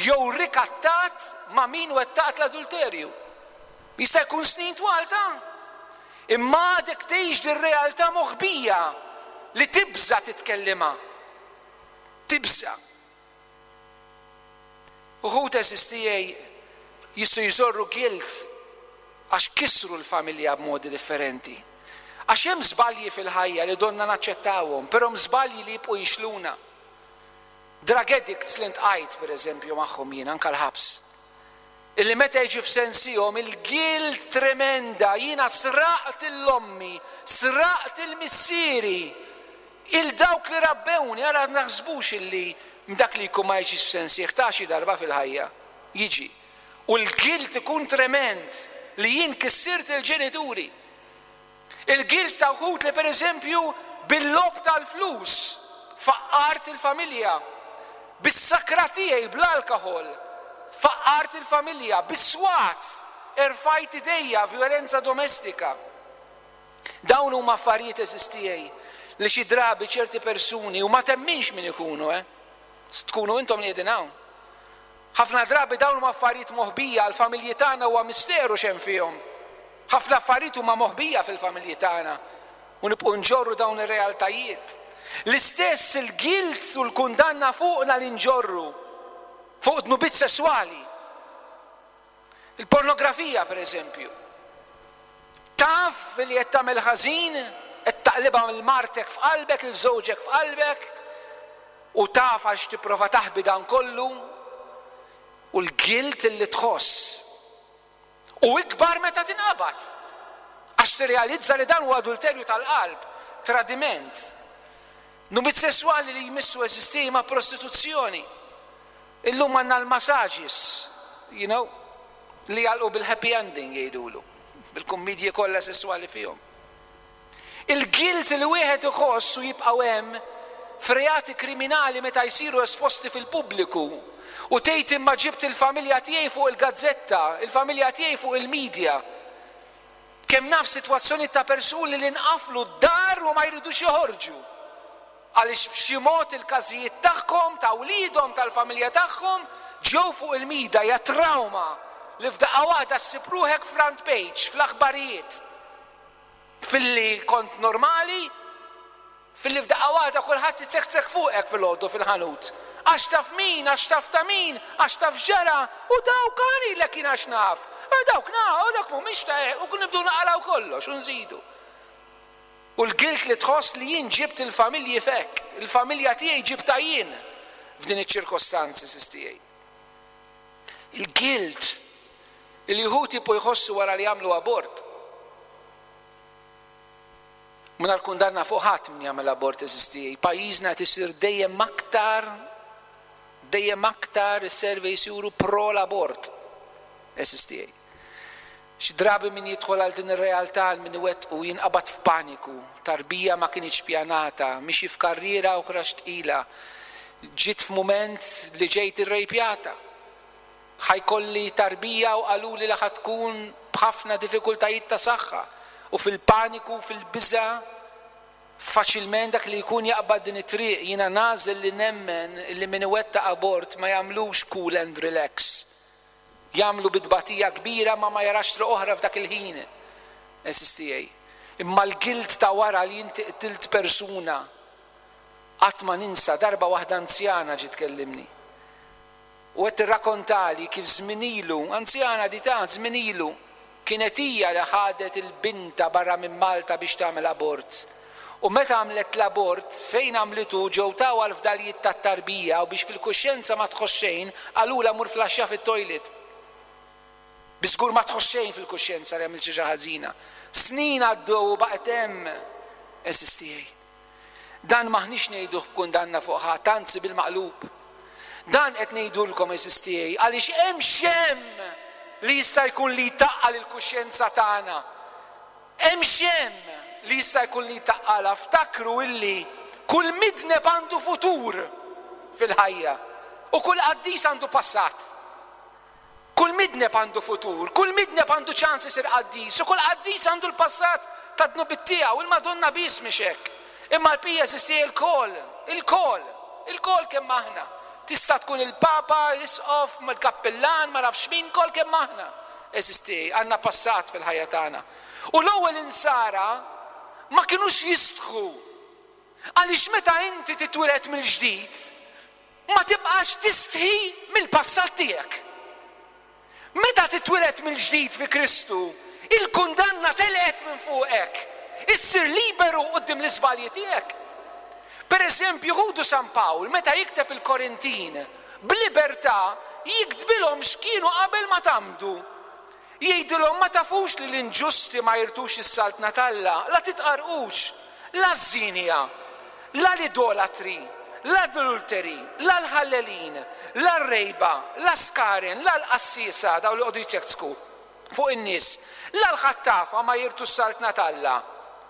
jew rikattat ma' min wettaqt l-adulterju. Jista' jkun snin twal ta' imma għadek tgħix din realtà moħbija li tibża titkellimha. Tibża. Uħud, għeżież tiegħi, jistgħu jġorru guilt għax kisru l-familja b'modi differenti. Għax hemm żbalji fil-ħajja li donna naċċettawhom, però hemm żbalji li jibqgħu jixluna. Drug addicts li ltqajt, per eżempju, magħhom jien anka l-ħabs. Illi meta jiġu f'sensihom il-guilt tremenda, jiena sraqt 'l ommi, sraqt 'il missieri, 'il dawk li rabbewni. Ara naħsbux illi dak li jkun ma jiġix f'sensih ta' xi darba fil-ħajja. Jiġi. U l-guilt ikun trement li jien kissirt il-ġenituri. Il-guilt ta' wħud li, per eżempju, bil-logħob tal-flus faqqart il-familja, bis-sakra tiegħi, bl-alkohol faqqart il-familja, bis-swat erfajt idejja, violenza domestika. Dawn huma affarijiet, għeżież tiegħi, li xi drabi ċerti persuni, u ma temminx min ikunu, eh? Tkunu intom li qegħdin hawn. Ħafna drabi dawn huma affarijiet moħbija għal familji tagħna, huwa misteru x'hemm fihom. Ħafna affarijiet huma moħbija fil-familji tagħna u nibqgħu nġorru dawn ir-realtajiet. L-istess il-guilt u l-kundanna fuqna li nġorru fuq dnubiet sesswali. Il-pornografija, per eżempju. Taf li qed tagħmel ħażin, qed taqlibha lil martek f'qalbek, 'il żewġek f'qalbek, u taf għax tipprova taħbi dan kollu, u l-guilt li tħoss. U ikbar meta tinqabad. Għax tirrealizza li dan huwa adulterju tal-qalb, tradiment. Dnubiet sesswali li jmissu, għeżież tiegħi, ma' prostituzzjoni. Illum għandna l-massages, you know, li jagħlqu bil-happy ending jgħidulu, bil-kummedji kollha sesswali fihom. Il-guilt li wieħed iħoss u jibqgħu hemm f'reati kriminali meta jsiru esposti fil-pubbliku u tgħid imma ġibt il-familja tiegħi fuq il-gazzetta, il-familja tiegħi fuq il-medja. Kemm naf sitwazzjoni ta' persuni li nqaflu d-dar u ma jridux joħorġu. Għaliex b'xi mod il-każijiet tagħhom, ta' wliedhom, tal-familja tagħhom ġew fuq il-media. Hija trauma li f'daqqa waħda ssib ruħek front page fl-aħbarijiet. Filli kont normali, filli f'daqqa waħda kulħadd jitsektsek fuqek fil-għodu fil-ħanut. Għax taf min, għax taf ta' min, għax taf ġara, u dawk għani kien għax naf. U dawk na, u dawk mhumiex ta' u kun nibdu naqalaw kollox, u nżidu. U l-guilt li tħoss li jien ġibt il-familji fek, il-familja tiegħi ġibta jien f'din iċ-ċirkostanzi, għeżież tiegħi. Il-guilt li wħud jibqgħu jħossu wara li jagħmlu abort. Mingħajr kundanna fuq ħadd min jagħmel abort, għeżież tiegħi. Pajjiżna qed isir dejjem aktar dejjem aktar is-surveys juru pro l-abort. Għeżież tiegħi. Xi drabi min jidħol għal din ir-realtà, għal min iwettqu, jinqabad f'paniku, tarbija ma kienx pjanata, mixi f'karriera oħra tqila, ġiet f'mument li ġejt irrejpjata. Ħa jkolli tarbija u qaluli li ħa tkun b'ħafna diffikultajiet ta' saħħa. U fil-paniku, fil-biża, faċilment dak li jkun jaqbad din it-triq. Jiena nagħżel li nemmen li min iwettaq abort ma jagħmlux cool and relax. Jagħmlu bi tbatija kbira, ma ma jarax triq oħra f'dak il-ħin. Għeżież tiegħi. Imma l-guilt ta' wara li inti qtilt persuna, qatt ma ninsa darba waħda anzjana ġiet tkellimni. U qed tirrakkontali kif żmien ilu, anzjana di ta' żmien ilu, kienet hija li ħadet il-binta barra minn Malta biex tagħmel abort. U meta għamlet l-abort, fejn għamlitu ġew tawha l-fdalijiet tat-tarbija u biex fil-kuxjenza ma tħoss xejn, qalulha mur flaxxa fit-toilet. Biżgur ma tħoss xejn fil-kuxjenza li għamilt xi ħażina. Snin għaddew u baqgħet hemm għeżież tiegħi. Dan m'aħniex ngħiduh b'kundanna fuq ħadd, anzi bil-maqlub. Dan qed ngħidulkom għeżież tiegħi għaliex hemm x'hemm li jista' jkun li jtaqqal il-kuxjenza tagħna. Hemm x'hemm li jista' jkun li jtaqqalha. Ftakru illi kull midneb għandu futur fil-ħajja u kull qaddis għandu passat. Kull midneb għandu futur, kull midneb għandu ċans isir qaddis, u kull qaddis għandu l-passat ta' dnubiet tiegħu, il-Madonna biss mhix hekk. Imma l-bqija għeżież tiegħi il-koll, il-koll, il-koll kemm aħna. Tista' tkun il-Papa, l-Isqof, il-Kappillan, ma nafx min, koll kemm aħna. Għeżież tiegħi, għandna passat fil-ħajja tagħna. U l-ewwel insara ma kinux jistħu. Għaliex meta inti titwieled mill-ġdid, ma tibqax tistħi mill-passat tiegħek. Meta titwieled mill-ġdid fi Kristu, il-kundanna telqet minn fuqek. Issir liberu quddiem l-iżbalji tiegħek. Per eżempju, ħudu San Pawl, meta jikteb il-Korintin, b'libertà jiktbilhom x'kienu qabel ma tgħammdu. Jgħidilhom ma tafux li l-inġusti ma jirtux is-saltna t'Alla, la titqarqux, la ż-żienja, la l-idolatri, la l-adulteri, la l-ħallelin, la r-rejba, la skaren, la l-qassisa, daw li qogħdu jiċċeksku fuq in-nies, la l-ħattafa ma jirtu s-saltna t'Alla.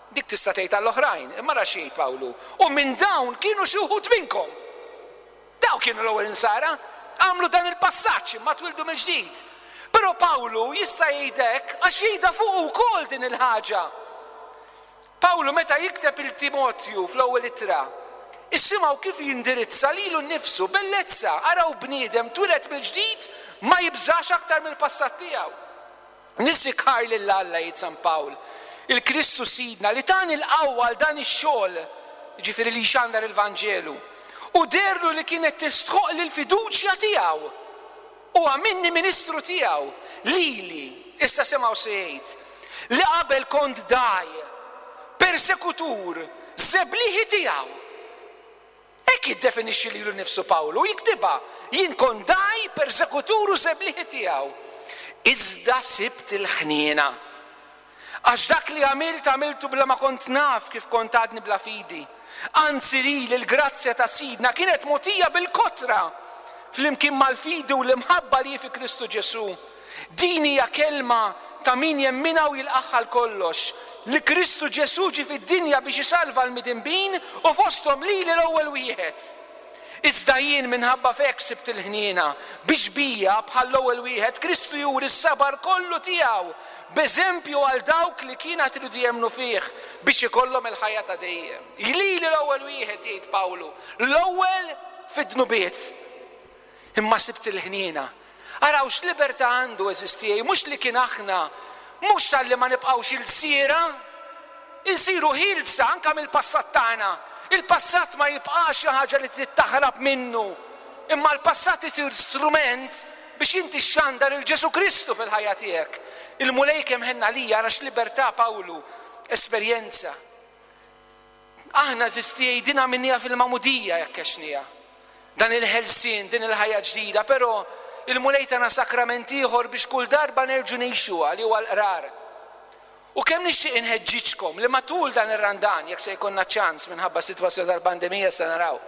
Dik tista' tgħid għall-oħrajn, imma ra xi jgħid Pawlu. U minn dawn kienu xi wħud minnkom. Dawn kienu l-ewwel insara, għamlu dan il-passaġġ imma twildu mill-ġdid. Però Pawlu jista' jgħid hekk għax jgħidha fuq ukoll din il-ħaġa. Pawlu meta jikteb il-Timotju fl-ewwel ittra, issimgħu kif jindirizza lilu nnifsu, bellezza, araw bniedem twieled mill-ġdid ma jibżax aktar mill-passat tiegħu. Niżikar lil Alla, jgħid San Pawl, il-Kristu Sidna li tani l-qawwa għal dan ix-xogħol, jiġifieri li jxandar il-Vanġelu, u derlu li kienet tistħoq lil fiduċja tiegħu u għamilni ministru tiegħu lili, issa semgħu se jgħid, li qabel kont daj, persekutur, żebliħi tiegħu. Hekk jiddefinixxi lilu nnifsu Pawlu, jiktibha, jien kont daj, persekutur u żebliħi tiegħu. Iżda sibt il-ħniena. Għax dak li għamilt, għamiltu bla ma kont naf kif kont għadni bla fidi. Anzi li l-grazzja ta' Sidna kienet mogħtija bil-kotra flimkien mal-fidi u l-imħabba li fi Kristu Ġesu. Din hija kelma ta' min jemmina u jilqaħħa kollox, li Kristu Ġesu ġie fid-dinja biex isalva l-midinbin u fosthom lili l-ewwel wieħed. Iżda jien minħabba fek sibt il-ħniena biex bija bħall-ewwel wieħed Kristu juri s-sabar kollu tiegħu b'eżempju għal dawk li kienet iridu jemmnu fih biex ikollhom il-ħajja ta' dejjem. Lili l-ewwel wieħed, jgħid Pawlu, l-ewwel fid-dnubiet. Imma sibt il-ħniena. Araw x'libertà għandu għeżież tiegħi, mhux li kien aħna, mhux talli ma nibqgħux ilsiera, insiru ħielsa anke mill-passat tagħna. Il-passat ma jibqax xi ħaġa li trid taħrab minnu, imma l-passat isir strument biex inti xxandar il Ġesu Kristu fil-ħajja tiegħek. Il-Mulej kemm ħenna lija, ara x'libertà Pawlu, esperjenza. Aħna għeżież tiegħi dina minnija fil-magħmudija jekk għexnija. Dan il-ħelsien, din il-ħajja ġdida, però il-Mulej tana sakrament ieħor biex kull darba nerġu ngħixuha li huwa l-qrar. U kemm nixtieq inħeġġiġkom li matul dan ir-Randan, jekk se jkollna ċans minħabba sitwazzjoni tal-pandemija se naraw.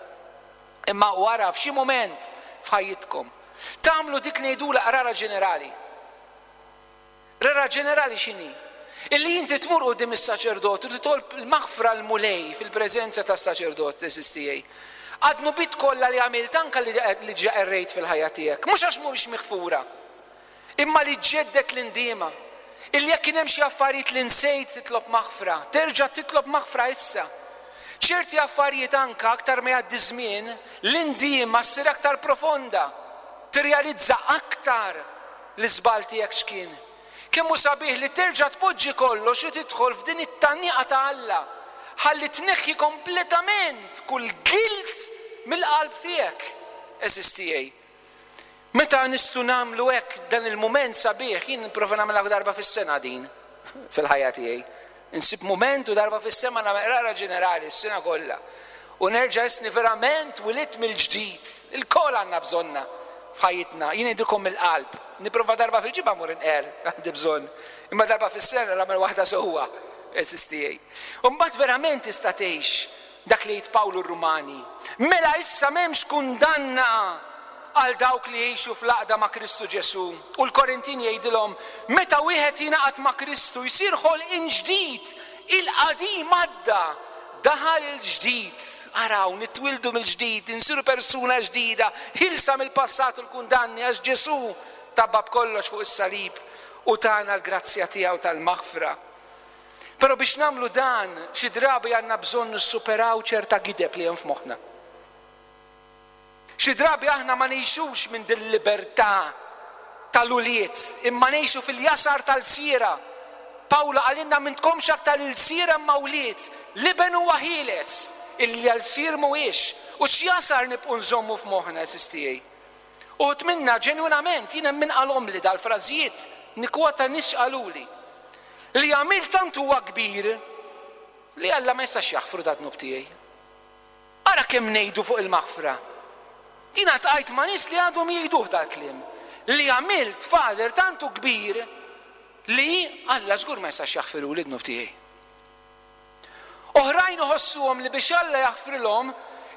Imma wara f'xi mument f'ħajjitkom tagħmlu dik ngħidula qrara ġenerali. Qrara ġenerali x'inhi? Illi inti tmur quddiem is-saċerdot u titolb il-maħfra l-Mulej fil-preżenza tas-saċerdot, għeżież tiegħi. Għad-dnubiet kollha li għamilt anke li, li ġa errejt fil-ħajja tiegħek, mhux għax mhumiex miħfura, imma li ġeddet l-indiema. Illi jekk kien hemm xi affarijiet li nsejt titlob maħfra, terġa' titlob maħfra issa. Ċerti affarijiet anke aktar ma jgħaddi żmien, l-indiema ssir aktar profonda, tirrealizza aktar l-iżball tiegħek x'kien. Kemm hu sabiħ li terġa' tpoġġi kollox u tidħol f'din it-tgħanniqa ta' Alla. Ħalli tneħħi kompletament kull guilt mill-qalb tiegħek, għeżież tiegħi. Meta nistgħu nagħmlu hekk dan il-mument sabiħ, jien nipprova nagħmilha darba fis-sena din fil-ħajja tiegħi. Insib mument u darba fis-sena nagħmel qrara ġenerali s-sena kollha. U nerġa' isni verament wilidt mill-ġdid. Il-kol għandna bżonna f'ħajjitna. Jien ngħidilkom mill-qalb. Nipprova darba fil-ġimgħa mmur inqer, għandi bżonn. Imma darba fis-sena nagħmel waħda sewwa, għeżież tiegħi. U mbagħad verament tista' tgħix dak li jgħid Pawlu r-Rumani. Mela issa m'hemmx kundanna għal dawk li jgħixu fl-għaqda ma' Kristu Ġesù. U l-Korintin jgħidilhom, meta wieħed jingħaqad ma' Kristu jsir ħolqien ġdid, il-qadim għadda, daħal il-ġdid. Araw, nitwildu mill-ġdid, insiru persuna ġdida, ħilsa mill-passat u l-kundanni, għax Ġesù tabba kollox fuq is-salib u tana l-grazzja tiegħu tal-maħfra. Però biex nagħmlu dan, xi drabi għandna bżonn nissuperaw ċerta gideb li hemm f'moħħna. Xi drabi aħna ma ngħixux minn din libertà tal-ulied, imma ngħixu fil-jasar tal-sira. Pawlu qalilna m'intkomx aktar il-sira imma wlied, l-iben huwa ħieles, illi l-sir mhuwiex. U x'jasar nibqgħu nżommu f'moħħna, għeżież tiegħi. Uħud minna ġenwinament, jien hemm min qalhom li dal-frażijiet, nikkwota nies qaluli. Li għamil tant huwa kbir li Alla ma jistax jaħfru dad-dnub tiegħi. Ara kemm ngħidu fuq il-maħfra. Jiena tqajt ma' nies li għadhom jgħiduh dal-kliem. Li għamilt, Father, tantu kbir li Alla żgur ma jistax jaħfiru l-dnub tiegħi. Oħrajn iħossuhom li biex Alla jaħfrilhom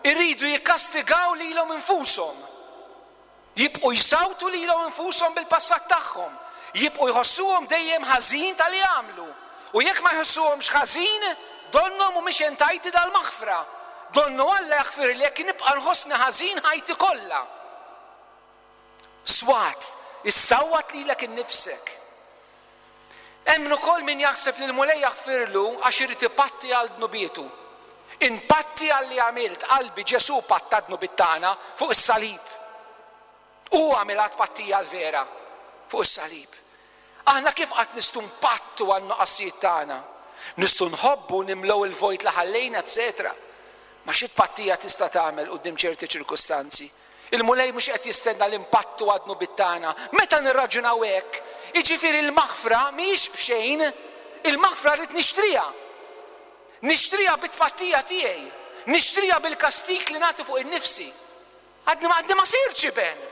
iridu jikkastigaw lilhom infushom. Jibqu jsawtu lilhom infushom bil-passat tagħhom. Jibqu jħossuhom dejjem ħażin tal-li għamlu. U jekk ma jħossuhomx ħażin, donnhom mhumiex entitled għall-maħfra. Donnu Alla jaħfir li jekk nibqa' nħossni ħażin ħajti kollha. Swat, issawwat lilek innifsek. Hemm ukoll min jaħseb li l-Mulej jaħfirlu għax irid ipatti għal dnubietu. Inpatti għal li għamilt, qalbi Ġesù patta dnubiet tagħna fuq is-salib. Hu għamilha tpattija l-vera fuq is-salib. Aħna kif qatt nistgħu npattu għan nuqqasijiet tagħna? Nistgħu nħobbu nimlew il-vojt li ħallejna, eċetera. Ma xi tpattija tista' tagħmel quddiem ċerti ċirkustanzi. Il-Mulej mhux qed jistenna l-impattu għad dnubiet tagħna. Meta nirraġunaw hekk, jiġifieri l-maħfra mhijiex b'xejn, il-maħfra rrid nixtriha. Nixtriha bit-tpattija tiegħi, nixtriha bil-kastik li nagħti fuq innifsi. Għadni ma għadni ma sirtx iben.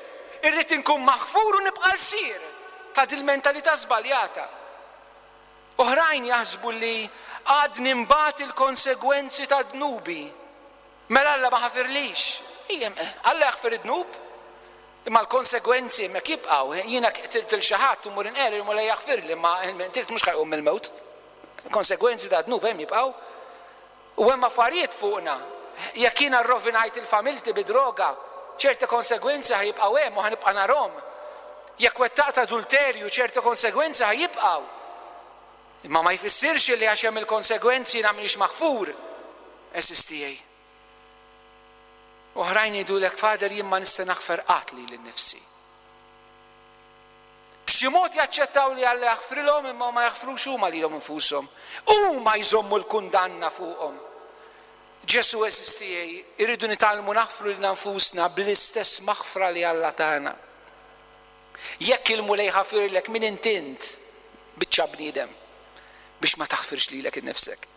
Irrid inkun maħfur u nibqa' lsir ta' dil-mentalità żbaljata. Oħrajn jaħsbu li għadni mbagħad il-konsegwenzi ta' dnubi. Mela Alla ma ħafirlix. Ejjem, Alla jaħfir id-dnub, imma l-konsegwenzi hemmhekk jibqgħu. Jiena qtilt il xi ħadd u mmur inqer il-Mulej jaħfirli, imma qtilt mhux ħajqum mill-mewt. Konsegwenzi ta' dnub hemm jibqgħu. U hemm affarijiet fuqna. Jekk jiena rrovinajt il-familti bi droga, ċerti konsegwenzi ħajibqgħu hemm u ħanibqa' narhom. Jekk wettaqt adulterju, ċerti konsegwenzi ħajibqgħu. Imma ma jfissirx li għax hemm il-konsegwenzi jiena m'iniex maħfur. Għeżież tiegħi. Oħrajn jgħidulek, Father, jien ma nista' naħfer qatt lili nnifsi. B'xi mod jaċċettaw li Alla jaħfrilhom imma ma jaħfrux huma lilhom infushom. Huma jżommu l-kundanna fuqhom. Ġesu għeżież tiegħi, irridu nitgħallmu naħfru lilna nfusna bl-istess maħfra li Alla tana. Jekk il-Mulej ħafirlek min intint biċċa bniedem biex ma taħfirx lilek innifsek.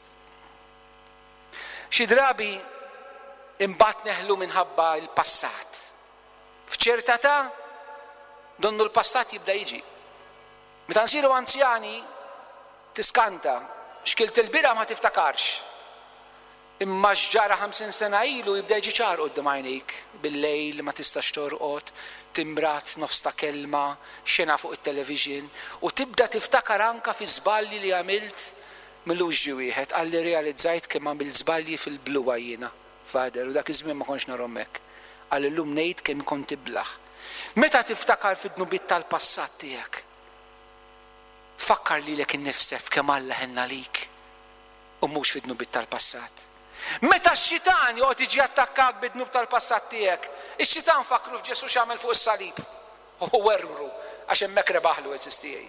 Xi drabi imbagħad neħlu minħabba l-passat. F'ċerta ta' donnu l-passat jibda jiġi. Meta nsiru anzjani tiskanta, x'kilt il-bieraħ ma tiftakarx. Imma x'ġara ħamsin sena ilu jibda jiġi ċar quddiem għajnejk, bil-lejl ma tistax torqod, timrat nofs ta' kelma, xena fuq it-television, u tibda tiftakar anka fi żbalji li għamilt millux ġi wieħed, qalli realizzajt kemm għamilt żbalji fil-bluwa jiena, Father, u dak iż-żmien ma kontx narhom hekk. Qal illum ngħid kemm kont iblaħ. Meta tiftakar fid-dnubiet tal-passat tiegħek, fakkar lilek innifsek kemm Alla ħenna lik u mhux fid-dnubiet tal-passat. Meta x-xitan joqgħod jiġi attakkak bid-dnub tal-passat tiegħek, ix-xitan fakru f'Ġesu x'għamel fuq is-salib. U werru għax hemmhekk rebaħlu għeżież tiegħi.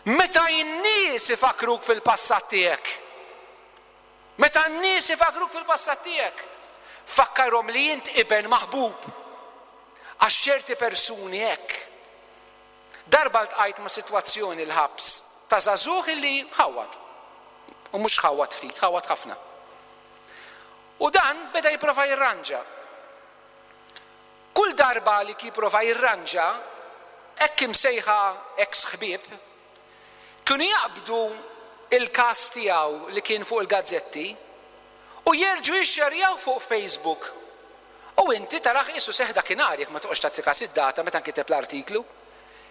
Meta n-nies ifakruk fil-passat tiegħek. Meta n-nies ifakruk fil-passat tiegħek, fakkarhom li int iben maħbub. Għax ċerti persuni hekk. Darba ltqajt ma' sitwazzjoni l-ħabs ta' żagħżugħ illi ħawwad. U mhux ħawwad ftit, ħawwad ħafna. U dan beda jipprova jirranġa. Kull darba li jipprova jirranġa, hekk imsejħa ex ħbieb, kienu jaqbdu il-każ tiegħu li kien fuq il-gazzetti u jerġgħu jixxerjaw fuq Facebook. U inti tarah qisu seħħ dakinhar jekk ma toqgħodx tagħti każ id-data meta nkiteb l-artiklu.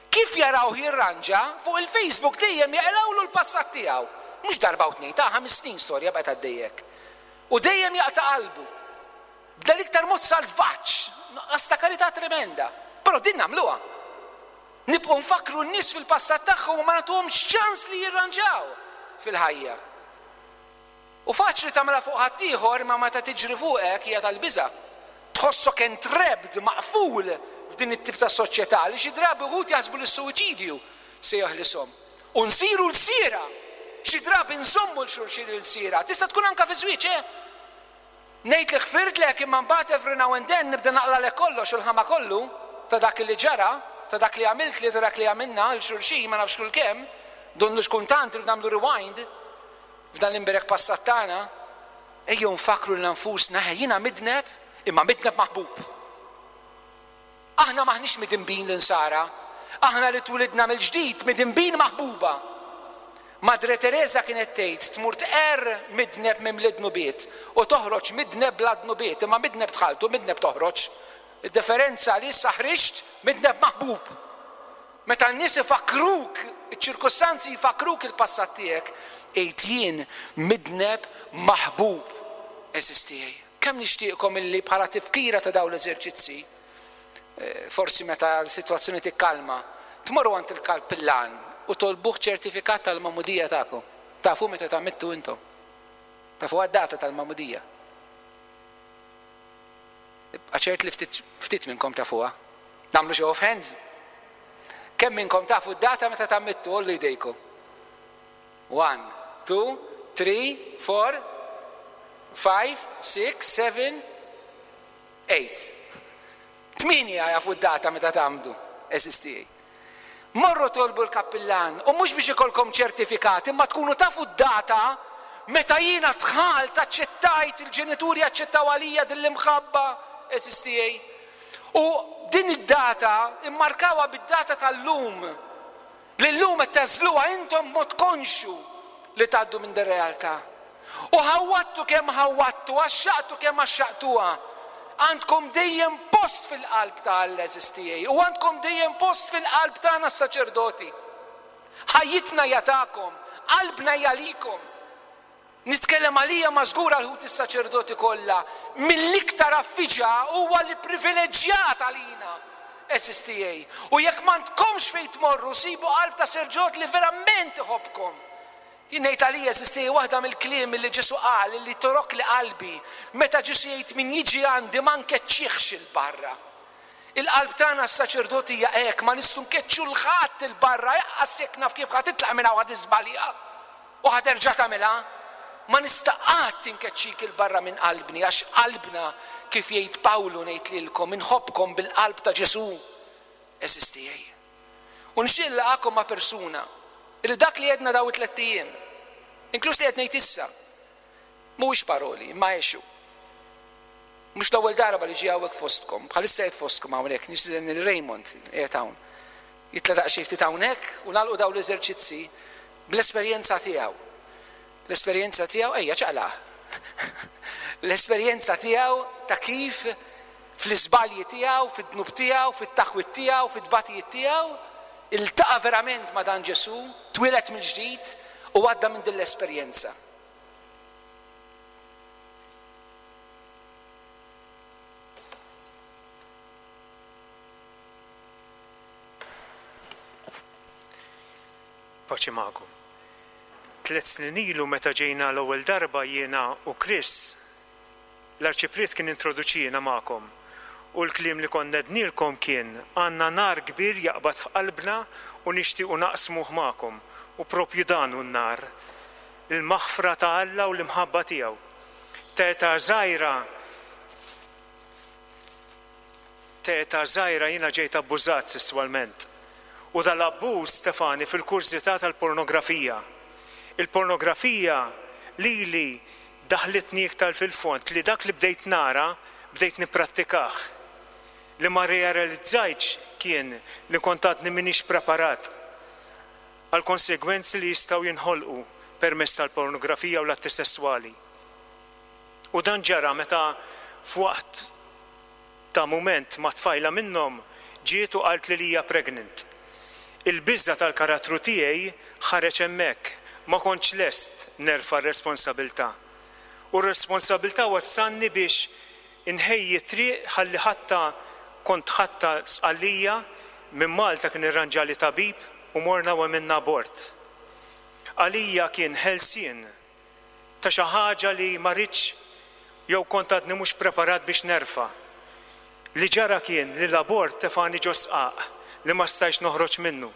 Kif jaraw jirranġa fuq il-Facebook dejjem jaqilgħulu l-passat tiegħu. Mhux darba u tnejn, ta' ħames snin storja baqgħet għaddejjek. U dejjem jaqta' qalbu. B'dan l-iktar mod salvaġġ, nuqqas ta' karità tremenda. Però din nagħmluha. Nibqgħu nfakru n-nies fil-passat tagħhom u ma nagħtuhomx ċans li jirranġaw fil-ħajja. U faċli tagħmilha fuq ħaddieħor, imma meta tiġri fuqek hija tal-biża'. Tħossok entrapped, maqful f'din it-tip ta' soċjetà li xi drabi wħud jaħsbu li s-suwiċidju se jeħlishom. U nsiru lsiera. Xi drabi nżommu 'l xulxin ilsiera. Tista' tkun anke fi żwieġ, eh? Ngħid li ħfirtlek imma mbagħad every now and then nibda naqlalek kollox u l-ħama kollu ta' dak li ġara, ta' dak li għamilt li ta' dak li għamilna 'l xulxin ma nafx kull kemm, donnu x'kuntant irridu nagħmlu rewind f'dan l-imberek passat tagħna. Ejjew nfakru lil nfusna, jiena midneb imma midneb maħbub. Aħna maħniex midinbin l-insara, aħna li twilidna mill-ġdid midinbin maħbuba. Madre Teresa kienet tgħid tmur tqerr midneb mimli dnubiet u toħroġ midneb bla dnubiet, imma midneb dħaltu, midneb toħroġ. Id-differenza li issa ħriġt midneb maħbub. Meta n-nies ifakruk, iċ-ċirkustanzi jfakruk il-passat tiegħek, għid jien midneb maħbub għeżież tiegħi. Kemm nixtieqkom illi bħala tifkira ta' dawn l-eżerċizzi, forsi meta l-sitwazzjoni tikkalma, tmorru għand il-kappillan u tolbuh ċertifikat tal-magħmudija tagħkom. Tafu meta tgħammidtu intom. Tafu għad-data tal-magħmudija. Ibqa' ċert li ftit, ftit minnkom tafuha. Nagħmlu show of hands. Kemm minnkom tafu d-data meta tgħammidtu, għollu jdejkom. One, two, three, four, five, six, seven, eight. Tmienja jafu d-data meta tgħammdu, għeżież tiegħi. Morru tolbu l-kappillan, u mhux biex ikolkom ċertifikat, imma tkunu tafu d-data meta jiena dħalt, aċċettajt, il-ġenituri aċċettaw għalija din l-imħabba, għeżież tiegħi. U din id-data immarkawha bid-data tal-lum, li llum qed tagħżluha intom b'mod konxju li tgħaddu minn din realtà. U ħawwadtu kemm ħawwadtu, għaxxaqtu kemm għaxxaqtuha. Għandkom dejjem post fil-qalb ta' Alla, għeżież tiegħi, u għandkom dejjem post fil-qalb tagħna s-saċerdoti. Ħajjitna hija tagħkom, qalbna hija għalikom. Nitkellem għalija ma żgur għal ħuti s-saċerdoti kollha, mill-iktar affiġa huwa li privileġġjat għalina, għeżież tiegħi. U jekk m'għandkomx fejn tmorru, sibu qalb ta' saċerdot li verament iħobbkom. Jien ngħid għalija, għeżież tiegħi, waħda mill-kliem li Ġesu qal li torok li qalbi, meta Ġesu jgħid min jiġi għandi ma nkeċċihx 'il barra. Il-qalb tagħna s-saċerdoti hija hekk, ma nistgħu nkeċċu 'l ħadd 'il barra, jaqqas jekk naf kif ħa titlaq minn hawn ħa tiżbalja u ħa terġa' tagħmilha. Ma nista' qatt inkeċċik 'il barra minn qalbni, għax qalbna, kif jgħid Pawlu ngħid lilkom, inħobbkom bil-qalb ta' Ġesu, għeżież tiegħi. U nixtieq nilqakom ma' persuna li dak li għedna daw it-tliet ijiem, inkluż li qed ngħid issa, mhuwiex paroli, imma għexu. Mhux l-ewwel darba li ġie hawnhekk fostkom, bħalissa qiegħed fostkom hawnhekk, nixtieq lil Raymond qiegħed hawn. Jitla' daqsxejn ftit hawnhekk u nagħlqu dawn l-eżerċizzi bl-esperjenza tiegħu. L-esperjenza tiegħu, ejja ċaqlaq. L-esperjenza tiegħu ta' kif fl-iżbalji tiegħu, fid-dnub tiegħu, fit-taħwid tiegħu, fit-tbatijiet tiegħu, iltaqa' verament ma' dan Ġesu, twieled mill-ġdid u għadda minn din l-esperjenza. Paċi magħkom. Tliet snin ilu meta ġejna l-ewwel darba jiena u Chris, l-arċipriet kien introduċina magħkom. U l-kliem li konna għednielkom kien għandna nar kbir jaqbad f'qalbna u nixtiequ naqsmuh magħkom. U propju dan hu n-nar, il-maħfra ta' Alla u l-imħabba tiegħu. Ta' età żgħira ta' età żgħira jiena ġejt abbużat sesswalment. U dal-abbuż tefagħni fil-kurżità tal-pornografija. Il-pornografija lili daħlitni iktar fil-fond li dak li bdejt nara bdejt nipprattikah. Li ma rrealizzajtx kien li kont għadni m'iniex preparat għal konsegwenzi li jistgħu jinħolqu permezz tal-pornografija u l-atti sesswali. U dan ġara meta f'waqt ta' mument ma' tfajla minnhom ġiet u qaltli li hija pregnant. Il-biża' tal-karattru tiegħi ħareġ hemmhekk, ma kontx lest nerfa' r-responsabilità. U r-responsabilità wassalni biex inħejji triq ħalli ħatta kont ħadtha Sqallija, minn Malta kien irranġali tabib u morna u għamilna abort. Għalija kien ħelsien ta' xi ħaġa li ma ridtx jew kont għadni mhux preparat biex nerfa'. Li ġara kien li l-abort tefagħni ġo sqaq li ma stajtx noħroġ minnu.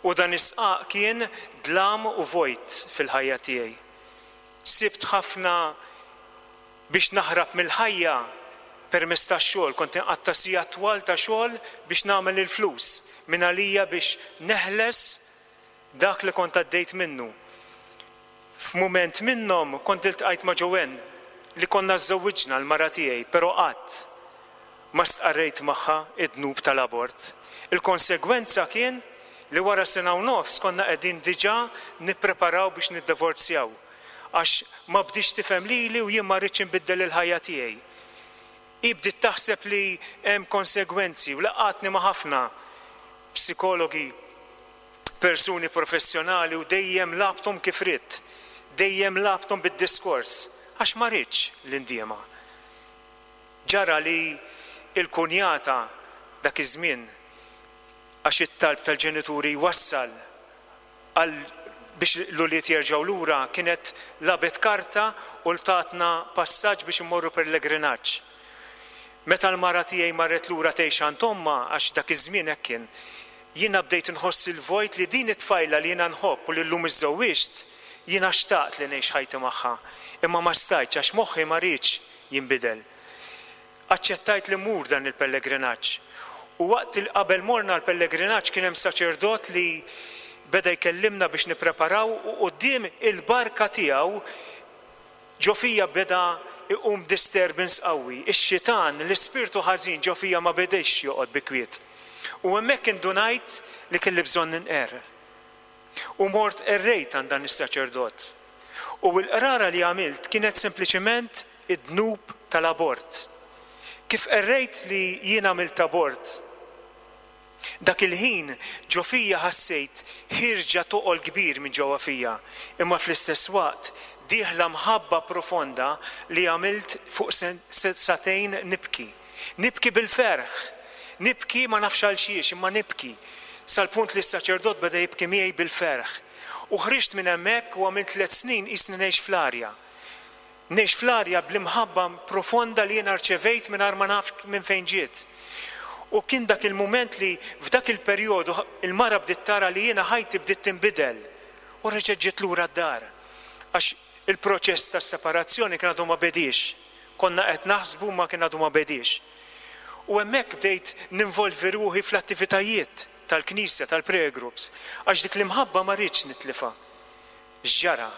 U dan is-sqaq kien dlam u vojt fil-ħajja tiegħi. Sibt ħafna biex naħrab mill-ħajja permezz tax-xogħol, kont inqatta' sigħat twal ta' xogħol biex nagħmel il-flus minn għalija biex neħles dak li kont għaddejt minnu. F'mument minnhom kont iltqajt ma' Joanne li konna żżewwiġna l-mara tiegħi, però qatt ma stqarrejt magħha id-dnub tal-abort. Il-konsegwenza kien li wara sena u nofs konna qegħdin diġà nippreparaw biex niddivorzjaw, għax ma bdietx tifhem lili u jien ma rridx inbiddel il-ħajja tiegħi. Hi bdiet taħseb li hemm konsegwenzi u laqgħatni ma' ħafna psikologi, persuni professjonali u dejjem labthom kif ridt, dejjem labthom bid-diskors, għax ma rridx l-indiema. Ġara li il-kunjata dak iż-żmien, għax it-talb tal-ġenituri jwassal għal biex l-ulied jerġgħu lura, kienet labet karta u tatna passaġġ biex immorru pellegrinaġġ. Meta l-mara tiegħi marret lura tgħix għand ommha, għax dak iż-żmien hekk kien, jiena bdejt inħoss il-vojt li din it-tfajla li jiena nħobb u li llum iżżewwiġt, jiena xtaqt li ngħix ħajti magħha, imma ma stajtx għax moħħi ma riedx jinbidel. Aċċettajt li mmur dan il-pellegrinaġġ. U waqt li qabel morna l-pellegrinaġġ kien hemm saċerdot li beda jkellimna biex nippreparaw u quddiem il-barka tiegħu ġo fija beda iqum disturbance qawwi. Ix-xitan, l-ispirtu ħażin ġo fija ma bediex joqgħod bi kwiet. U hemmhekk indunajt li kelli bżonn ninqer. U mort qerrejt għand dan is-saċerdot. U l-qrara li għamilt kienet sempliċement id-dnub tal-abort. Kif qerrejt li jien għamilt abort, dak il-ħin ġo fija ħassejt ħirġa toqol kbir minn ġewwa fija, imma fl-istess waqt dieħla mħabba profonda li għamilt fuq satejn nibki. Nibki bil-ferħ, nibki ma nafx għal xiex, imma nibki. Sal-punt li s-saċerdot beda jibki miegħi bil-ferħ. U ħriġt minn hemmhekk u għamilt tliet snin qisni ngħix fl-arja. Ngħix fl-arja bl-imħabba profonda li jiena rċevejt mingħajr ma naf minn fejn ġiet. U kien dak il-mument li f'dak il-perjodu il-mara bdiet tara li jiena ħajti bdiet tinbidel u reġgħet ġiet lura d-dar. Għax il-proċess tas-separazzjoni kien għadu ma bediex. Konna qed naħsbu ma kien għadu ma bediex. U hemmhekk bdejt ninvolvi ruħi fl-attivitajiet tal-knisja, tal-prayer groups, għax dik l-imħabba ma rridx nitlifa. X'ġara?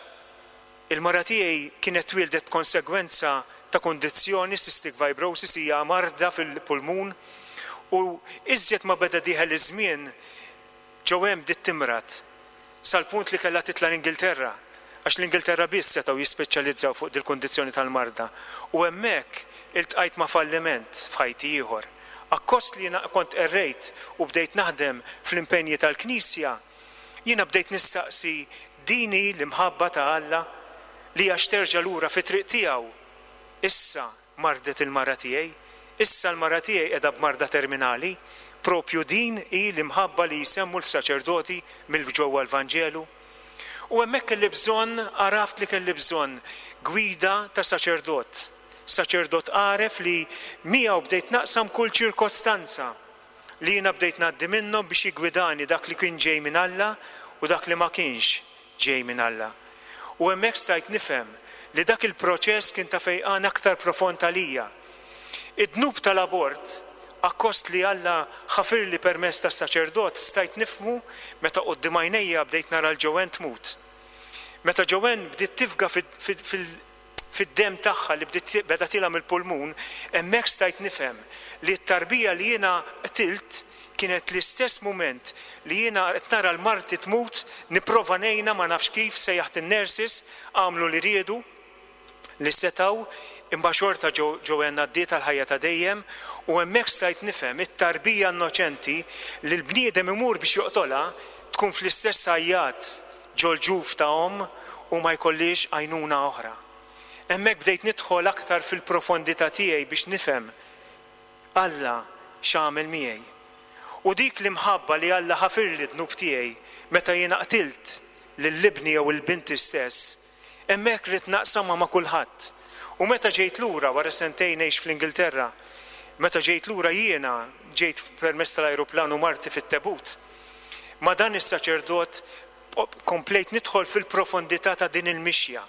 Il-mara tiegħi kienet twildet b'konsegwenza ta' kundizzjoni, cystic fibrosis, hija marda fil-pulmun, u iżjed ma beda dieħel iż-żmien ġew hemm bdiet timrad sal-punt li kellha titla' l-Ingilterra, għax l-Ingilterra biss setgħu jispeċjalizzaw fuq dil-kundizzjoni tal-marda. U hemmhekk iltqajt ma' falliment f'ħajti ieħor. Akkost li jiena kont qerrejt u bdejt naħdem fl-impenji tal-Knisja, jiena bdejt nistaqsi din hi l-imħabba ta' Alla li għax terġa' lura fit-triq tiegħu. Issa mardet il-mara tiegħi, issa l-mara tiegħi qiegħda b'marda terminali, propju din hi l-imħabba li jsemmu l-saċerdoti mill-ġewwa l-Vanġelu. U hemmhekk kelli bżonn, għaraft li kelli bżonn gwida ta' saċerdot. Saċerdot għaref li miegħu bdejt naqsam kull ċirkostanza li jiena bdejt ngħaddi minnhom biex jiggwidani dak li kien ġej minn Alla u dak li ma kienx ġej minn Alla. U hemmhekk stajt nifhem li dak il-proċess kien ta' fejqan aktar profond għalija. Id-dnub tal-abort, akkost li Alla ħafirli permezz tas-saċerdot, stajt nifhmu meta quddiem għajnejja bdejt nara l Joanne tmut. Meta Joanne bdiet tifga fid-dem tagħha li bdiet beda tilha mill-pulmun, hemmhekk stajt nifhem li t-tarbija li jiena qtilt kienet l-istess mument li jiena qed nara l-marti tmut, nipprova ngħinha ma nafx kif, sejjaħt in-nurses, għamlu li riedu, li setaw, imma xorta Joanne għaddiet għall-ħajja ta' dejjem, u hemmhekk stajt nifhem it-tarbija innoċenti li l-bniedem imur biex joqtolha tkun fl-istess għajjat ġol-ġuf ta' omm u ma jkollix għajnuna oħra. Hemmhekk bdejt nidħol aktar fil-profondità tiegħi biex nifhem Alla x'għamel miegħi. U dik l-imħabba li Alla ħafirli d-dnub tiegħi meta jiena qtilt lil ibni jew il-binti stess, hemmhekk ridt naqsamha ma' kulħadd. U meta ġejt lura wara sentejn ngħix fl-Ingilterra, meta ġejt lura jiena ġejt permezz tal-ajruplan u marti fit-tebut. Ma' dan is-saċerdot komplejt nidħol fil-profondità ta' din il-mixja.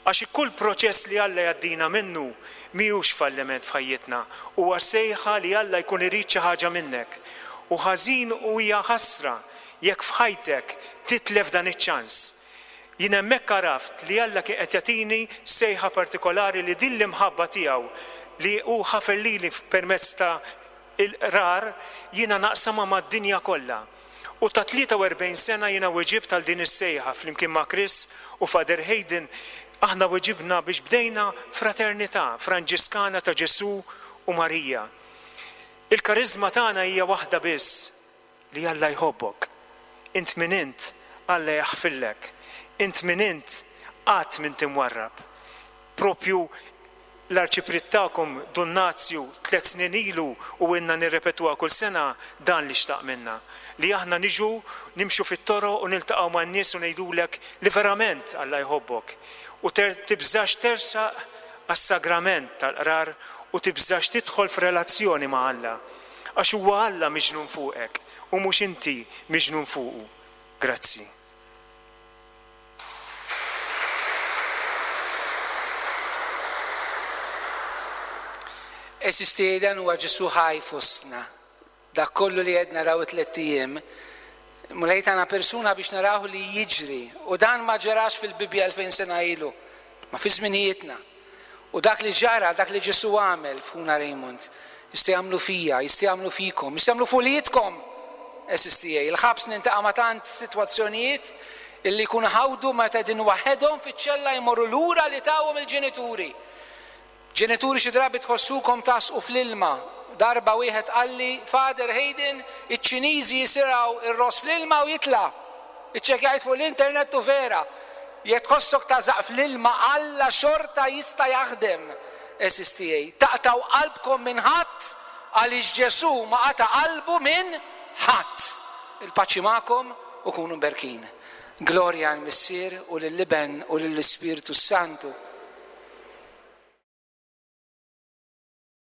Għax kull proċess li Alla jgħaddina minnu mhijiex falliment f'ħajjitna, huwa sejħa li Alla jkun irid xi ħaġa minnek. U ħażin u hija ħasra jekk f'ħajtek titlef dan iċ-ċans. Jien hemmhekk għaraft li Alla kien qed jagħtini sejħa partikolari li din l-imħabba tiegħu li hu ħafer lili permezz ta' il-qrar jiena naqsamha mad-dinja kollha. U ta' tlieta u erbgħin sena jiena weġibt għal din is-sejħa flimkien ma' Chris u Father Hayden, aħna weġibna biex bdejna fraternità Franġiskana ta' Ġesù u Marija. Il-karizma tagħna hija waħda biss, li Alla jħobbok. Int min int, Alla jaħfillek. Int min int, qatt m'int imwarrab. Propju l-arċipriet tagħkom Dun Nazju tliet snin ilu u ilna nirrepetuha kull sena dan li xtaq minna. Li aħna niġu nimxu fit-toroq u niltaqgħu man-nies u ngħidulek li verament Alla jħobbok. U tibżax tersaq għas-sagrament tal-qrar u tibżax tidħol f'relazzjoni ma' Alla. Għax huwa Alla miġnun fuqek u mhux inti miġnun fuqu. Grazzi. Eżisti dan huwa Ġesù ħaj fostna. Dak kollu li qed naraw tliet ijiem, Mulej tagħna persuna biex naraw li jiġri. U dan ma ġarax fil-Bibbja elfejn sena ilu, ma fi żminijietna. U dak li ġara, dak li Ġesù għamel f'Ħuna Raymond, jista' jagħmlu fija, jista' jagħmlu fikom, jista' jagħmlu fulietkom. Eżisti il-ħabs nintaqa' ma' tant sitwazzjonijiet illi jkunu ħawdu meta qegħdin waħedhom fiċ-ċella jmorru lura li tawhom il-ġenituri. Ġenituri xi drabi tħossukom tasqu fl-ilma. Darba wieħed qalli, Father Hayden, iċ-Ċiniżi jisiraw ir-ross fl-ilma u jitla'. Iċċekkjajt fuq l-internet u vera. Jekk tħossok tażaq fl-ilma, Alla xorta jista' jaħdem. Eżisti taqtaw qalbkom minn ħadd għaliex Ġesù ma qata' qalbu minn ħadd. Il-paċi magħkom u kunu mberkin. Glorja għall-Missier u lill-Iben u lill-Ispirtu Santu.